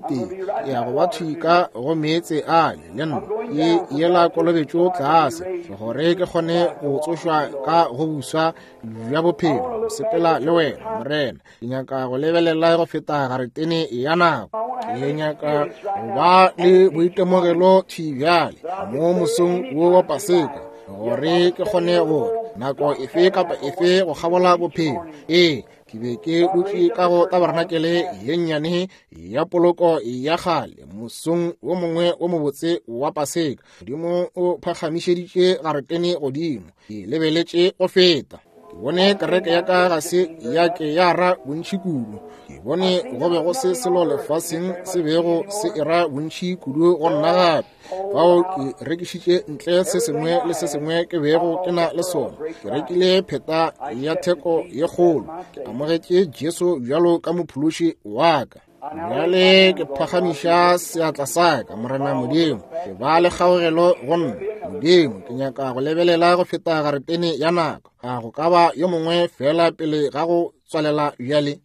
ke ya go ba thwi ka go meetse ale le nna, ke yela kolobetšo tlase, gore ke kgone go tsošwa ka go buswa bja bophelo, go sepela le wena, Morena. Ke nyaka go lebelela go feta garetene ya nako. Ke nyaka go ba le boitemogelo thwi bjale mo mosong wo wa Paseka, gore ke kgone go nako efe kapa efe go kgabola bophelo. Ee, ke be ke dutše ka go tabarenakele ye nnyane ya poloko ya kgale mosong wo mongwe wo mobotse wa Paseka. Modimo o phagamišeditše garetene godimo. Ke lebeletše go feta. Ke bone kereke ya ka ga se ya ke ya ra bontši kudu. Ke bone go be go se selo lefaseng se bego se era bontši kudu go nna gape. Fao ke rekišitše ntle se sengwe le se sengwe ke bego ke na le sona. Ke rekile pheta ya theko ye kgolo. Ke amogetše Jesu bjalo ka mophološi wa ka. Bjale ke phagamiša seatla sa ka, Morena Modimo. Ke ba le kgaogelo go nna. Modimo, ke nyaka go lebelela go feta garetene ya nako. A go ka ba yo mongwe fela pele ga go tswalela bjale?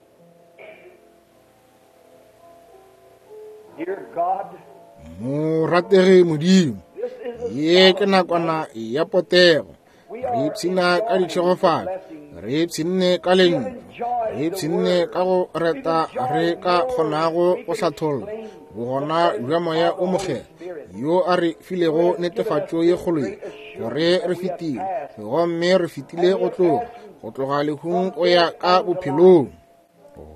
Morategi Modimo, ye ke nakwana ya potego. Re ipshina ka ditšhegofatšo, re ipshinne ka lentšu, re ipshinne ka go reta re ka kgonago go hlatholla bogona bja Moya o Mokgethwa yo a re filego netefatšo ye kgolo ye, gore re fetile, gomme re fetile go tloga lehung go ya ka bophelong.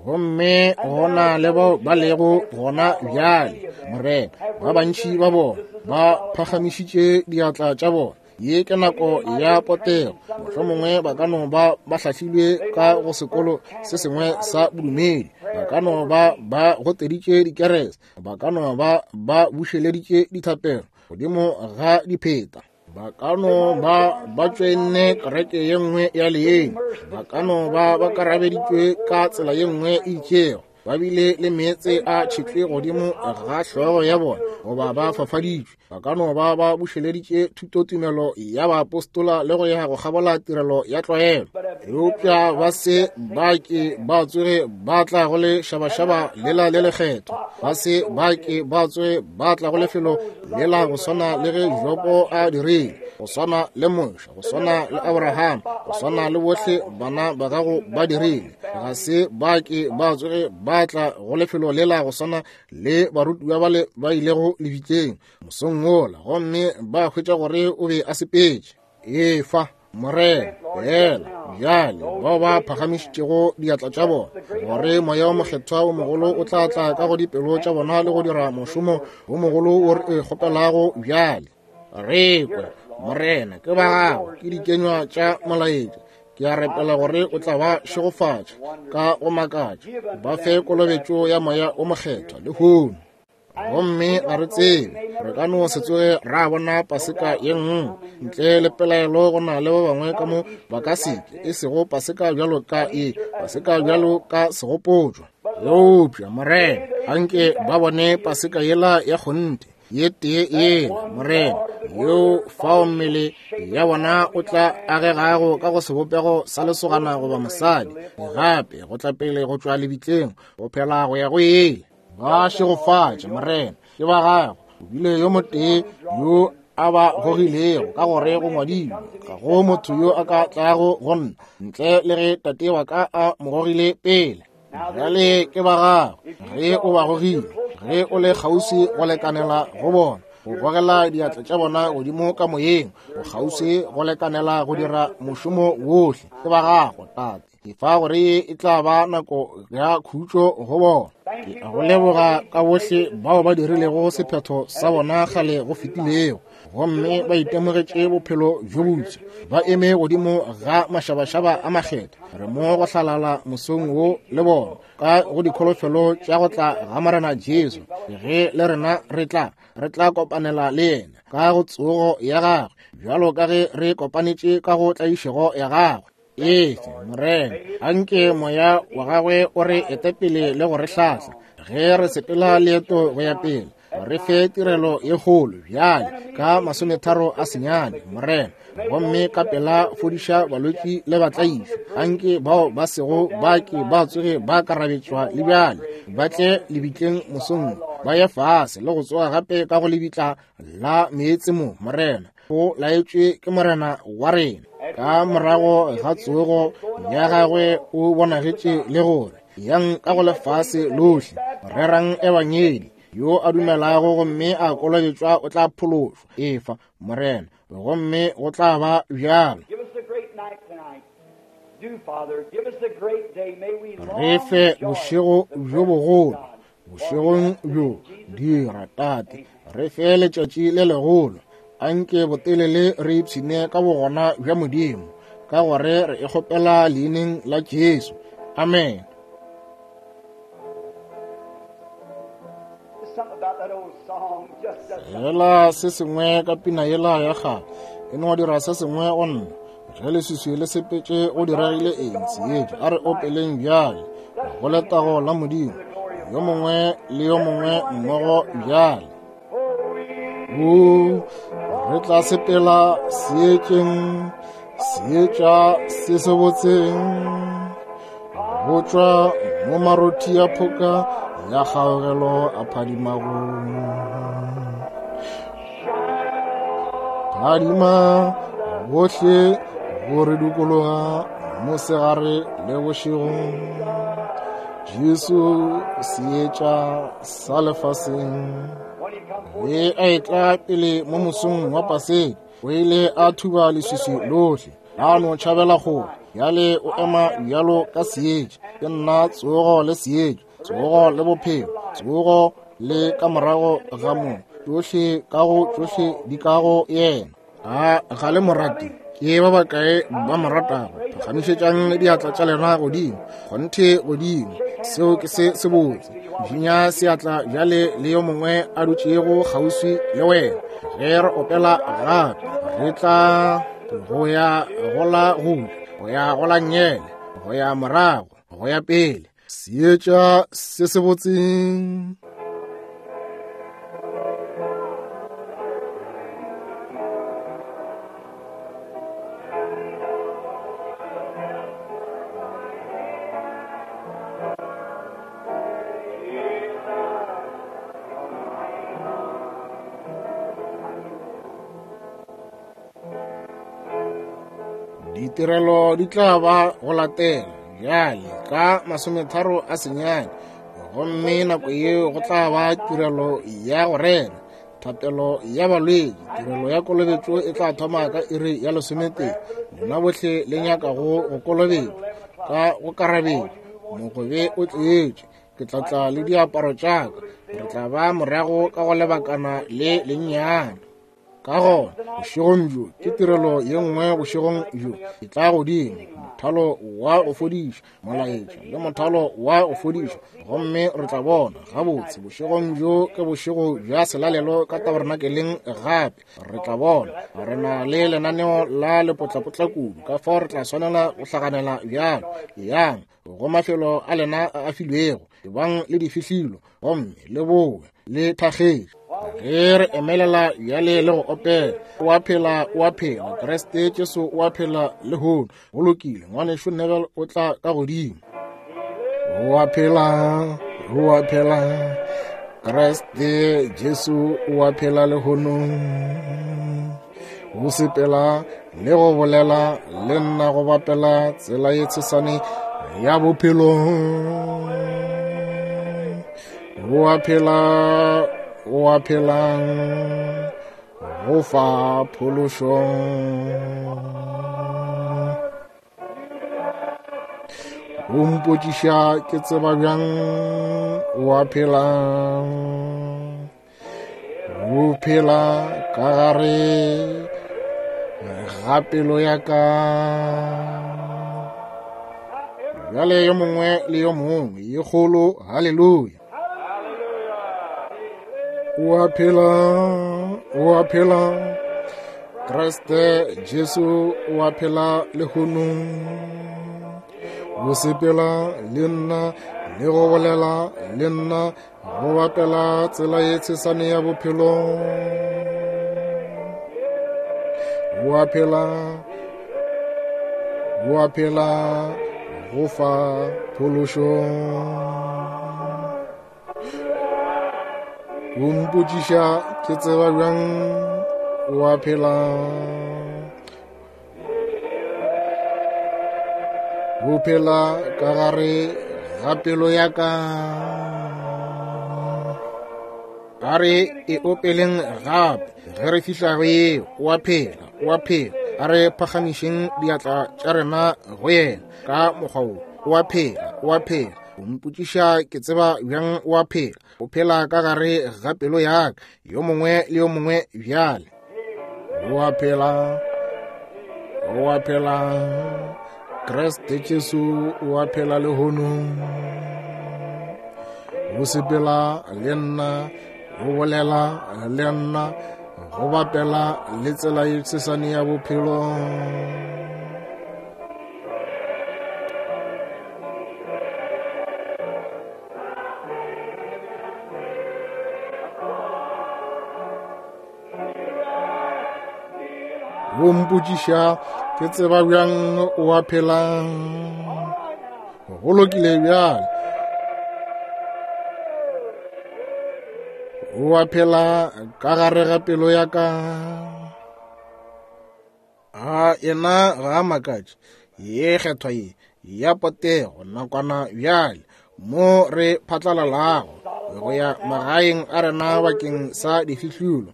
Gomme gona le bao ba lego gona bjale, Morena, ba bantši ba bona ba phagamišitše diatla tša bona. Ye ke nako ya potego. Mohlomongwe ba ka no ba ba hlahlilwe ka go sekolo se sengwe sa bodumedi, ba ka no ba ba goteditše dikerese, ba ka no ba ba bušeleditše dithapelo godimo ga dipheta, ba ka no ba ba tšoenne kereke ye nngwe ya leeng, ba ka no ba ba karabeditšwe ka tsela ye nngwe e itšego, ba bile le meetse a tšhetšwe godimo ga hlogo ya bona, goba ba fafaditšwe, ba ka no ba ba bušeleditše thutotumelo ya baapostola le go ya go kgabola tirelo ya tlwaelo, eupša ba se ba ke ba tsoge ba tla go le šabašaba lela le lekgetho, ba se ba ke ba tsoge ba tla go lefelo lela go swana le ge Jobo a dirile, go swana le Moshe, go swana le Abraham, go swana le bohle bana ba gago ba dirile. Ga se ba ke ba tsoge ba tla go lefelo lela go swana le barutiwa bale ba ilego lebitleng mosong wola, gomme ba hwetša gore o be a sepetše. Efa, Morena, feela bjale bao ba phagamišitšego diatla tša bona, gore Moya wo Mokgethwa wo mogolo o tla tla ka go dipelo tša bona le go dira mošomo wo mogolo wo re e kgopelago bjale. Re kwe, Morena, ke ba gago, ke dikenywa tša molaetša. Ke a rapela gore o tla ba šegofatša ka go makatša, ba fe kolobetšo ya Moya wo Mokgethwa lehono. Gomme ga re tsebe, re ka no se tsoge ra bona Paseka ye nngwe. Ntle le pelaelo go na le ba bangwe ka mo ba ka se ke, e sego Paseka bjalo ka e, Paseka bjalo ka segopotšo. Eupša, Morena, anke ba bone Paseka yela ya kgonthe, ye tee yela, Morena, yeo fao mmele ya bona o tla agegago ka go sebopego sa lesogana goba mosadi, gape go tla pele go tšwa lebitleng, go phela go ya go ile. Ba šegofatše, Morena, ke ba gago. O bile yo motee yo a ba gogilego, ka gore go ngwadilwe, ga go motho yo a ka tlago go nna ntle le ge Tate wa ka a mo gogile pele. Bjale ke ba gago. Ge o ba gogile, ge o le kgauswi go lekanela go bona, go gogela diatla tša bona godimo ka moyeng, o kgauswi go lekanela go dira mošomo wohle. Ke ba gago, Tate. Ke fa gore ye e tla ba nako ya khutšo go bona. Ke a go leboga ka bohle bao ba dirilego sephetho sa bona kgale go fetilego, gomme ba itemogetše bophelo bjo bopša, ba eme godimo ga mašabašaba a makgetha. Re mo go hlalala mosong wo le bona ka go dikholofelo tša go tla ga Morena Jesu. Ge le rena re tla, re tla kopanela le yena ka go tsogo ya gagwe, bjalo ka ge re kopanetše ka go tlaišego ya gagwe. Efe, Morena, anke Moya wa gagwe o re ete pele le go re hlahla ge re sepela leeto go ya pele. Re fe tirelo ye kgolo bjale ka 39, Morena, gomme ka pela fodiša balwetši le batlaišwa. Anke bao ba sego ba ke ba tsoge ba karabetšwa le bjale, ba tle lebitleng mosong, ba ye fase le go tsoga gape ka go lebitla la meetse mo, Morena. O laetšwe ke Morena wa rena. Ka morago ga tsogo ya gagwe o bonagetše le gore yang ka go lefase lohle, rerang ebangedi. Yo a dumelago gomme a kolobetšwa o tla phološwa. Efa, Morena, gomme go tla ba bjalo. Re fe bošego bjo bogolo. Bošegong bjo, dira, Tate, re fe letšatši le legolo. Anke botelele re ipshine ka bogona bja Modimo, ka gore re e kgopela leineng la Jesu. Amen. Fela se sengwe ka pina yela ya kgale e no dira se sengwe go nna. Ge leswiswi le sepetše go diregile eng seetša? A re opeleng bjale go letago la Modimo, yo mongwe le yo mongwe mmogo bjale. O re tla sepela seetšeng, seetša se se botseng, go tšwa mo marothi ya phoka ya kgaogelo a phadimago. Phadima bohle go re dukologa mosegare le bošego. Jesu seetša sa lefaseng. Ge a etla pele mo mosong wa Paseka, o ile a thuba leswiswi lohle, a no tšhabela kgole. Bjale o ema bjalo ka seetša. Ke nna tsogo le seetša, tsogo le bophelo, tsogo le ka morago ga mo, tšohle ka go tšohle di ka go yena. A ga le mo rate? Ke ba bakae ba mo ratago? Phagamišetšang diatla tša lena godimo, kgonthe godimo. Seo ke se sebotse. Šinya seatla bjale le yo mongwe a dutšego kgauswi le wena. Ge re opela gape, re tla go ya go la go ja, go ya go la nngele, go ya morago, go ya pele. Seetša se sebotseng. Ditirelo di tla ba go latela bjale ka 39, gomme nako yeo go tla ba tirelo ya go rera. Thapelo ya balwetši, tirelo ya kolobetšo e tla thoma ka iri ya lesometee. Lena bohle le nyakago go kolobetšwa ka go karabetšwa, mogobe o tletše. Ke tla tla le diaparo tša ka. Re tla ba morago ka go lebakana le lennyane. Ka gona bošegong bjo ke tirelo ye nngwe bošegong bjo e tla godimo mothalo wa go fodiša molaetša le mothalo wa go fodiša, gomme re tla bona gabotse bošegong bjo ke bošego bja selalelo ka tabernakeleng gape. Re tla bona re na le lenaneo la lepotlapotla kudu, ka fao re tla swanela go hlaganela bjalo. Yang go mafelo a lena a a filwego, ebang le difihlilo gomme le bowe le thakgetše. Ge re emelela bjale le go opela, o a phela, o a phela, Kriste Jesu o a phela lehono. Go lokile, ngwanešu Neville o tla ka godimo. O a phela, o a phela, Kriste Jesu o a phela lehono. O sepela le go bolela le nna go bapela tsela ye tshesane ya bophelo. O a phela, o a phela, go fa phološo. O mpotšiša ke tseba bjang o a phela. O phela ka gare ga pelo ya ka. Bjale yo mongwe le yo mongwe ye kgolo, haleluya. O a phela, o a phela, Kriste Jesu o a phela lehono. O sepela le nna le go bolela le nna go bapela tsela ye tshesane ya bophelo. O a phela, o a phela, go fa phološo. O mpotšiša ke tseba bjang o a phela. O phela ka gare ga pelo ya ka. A re e opeleng gape ge re fihla go yeo. O a phela, o a phela. A re phagamišeng diatla tša rena go yena ka mokgwa wo. O a phela, o a phela. O mpotšiša ke tseba bjang o a phela. O phela ka gare ga pelo ya ka, yo mongwe le yo mongwe bjale. O a phela, o a phela, Kriste Jesu o a phela lehono. O sepela le nna, o bolela le nna, go bapela le tsela ye tshesane ya bophelo. O mpotšiša ke tseba bjang o a phela. Go lokile bjale. O a phela ka gare ga pelo ya ka. A yena ga a makatše ye kgethwa ye ya potego nakwana bjale mo re phatlalalago go ya magaeng a rena bakeng sa difihlolo.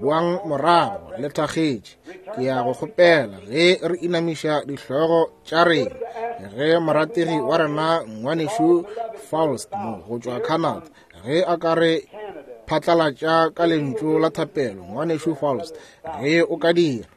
Boang morago le thakgetše. Ke ya go kgopela ge re inamiša dihlogo tša rena, ge morategi wa rena ngwanešu Faust mo go tšwa Canada, ge a ka re phatlalatša ka lentšu la thapelo. Ngwanešu Faust, ge o ka dira.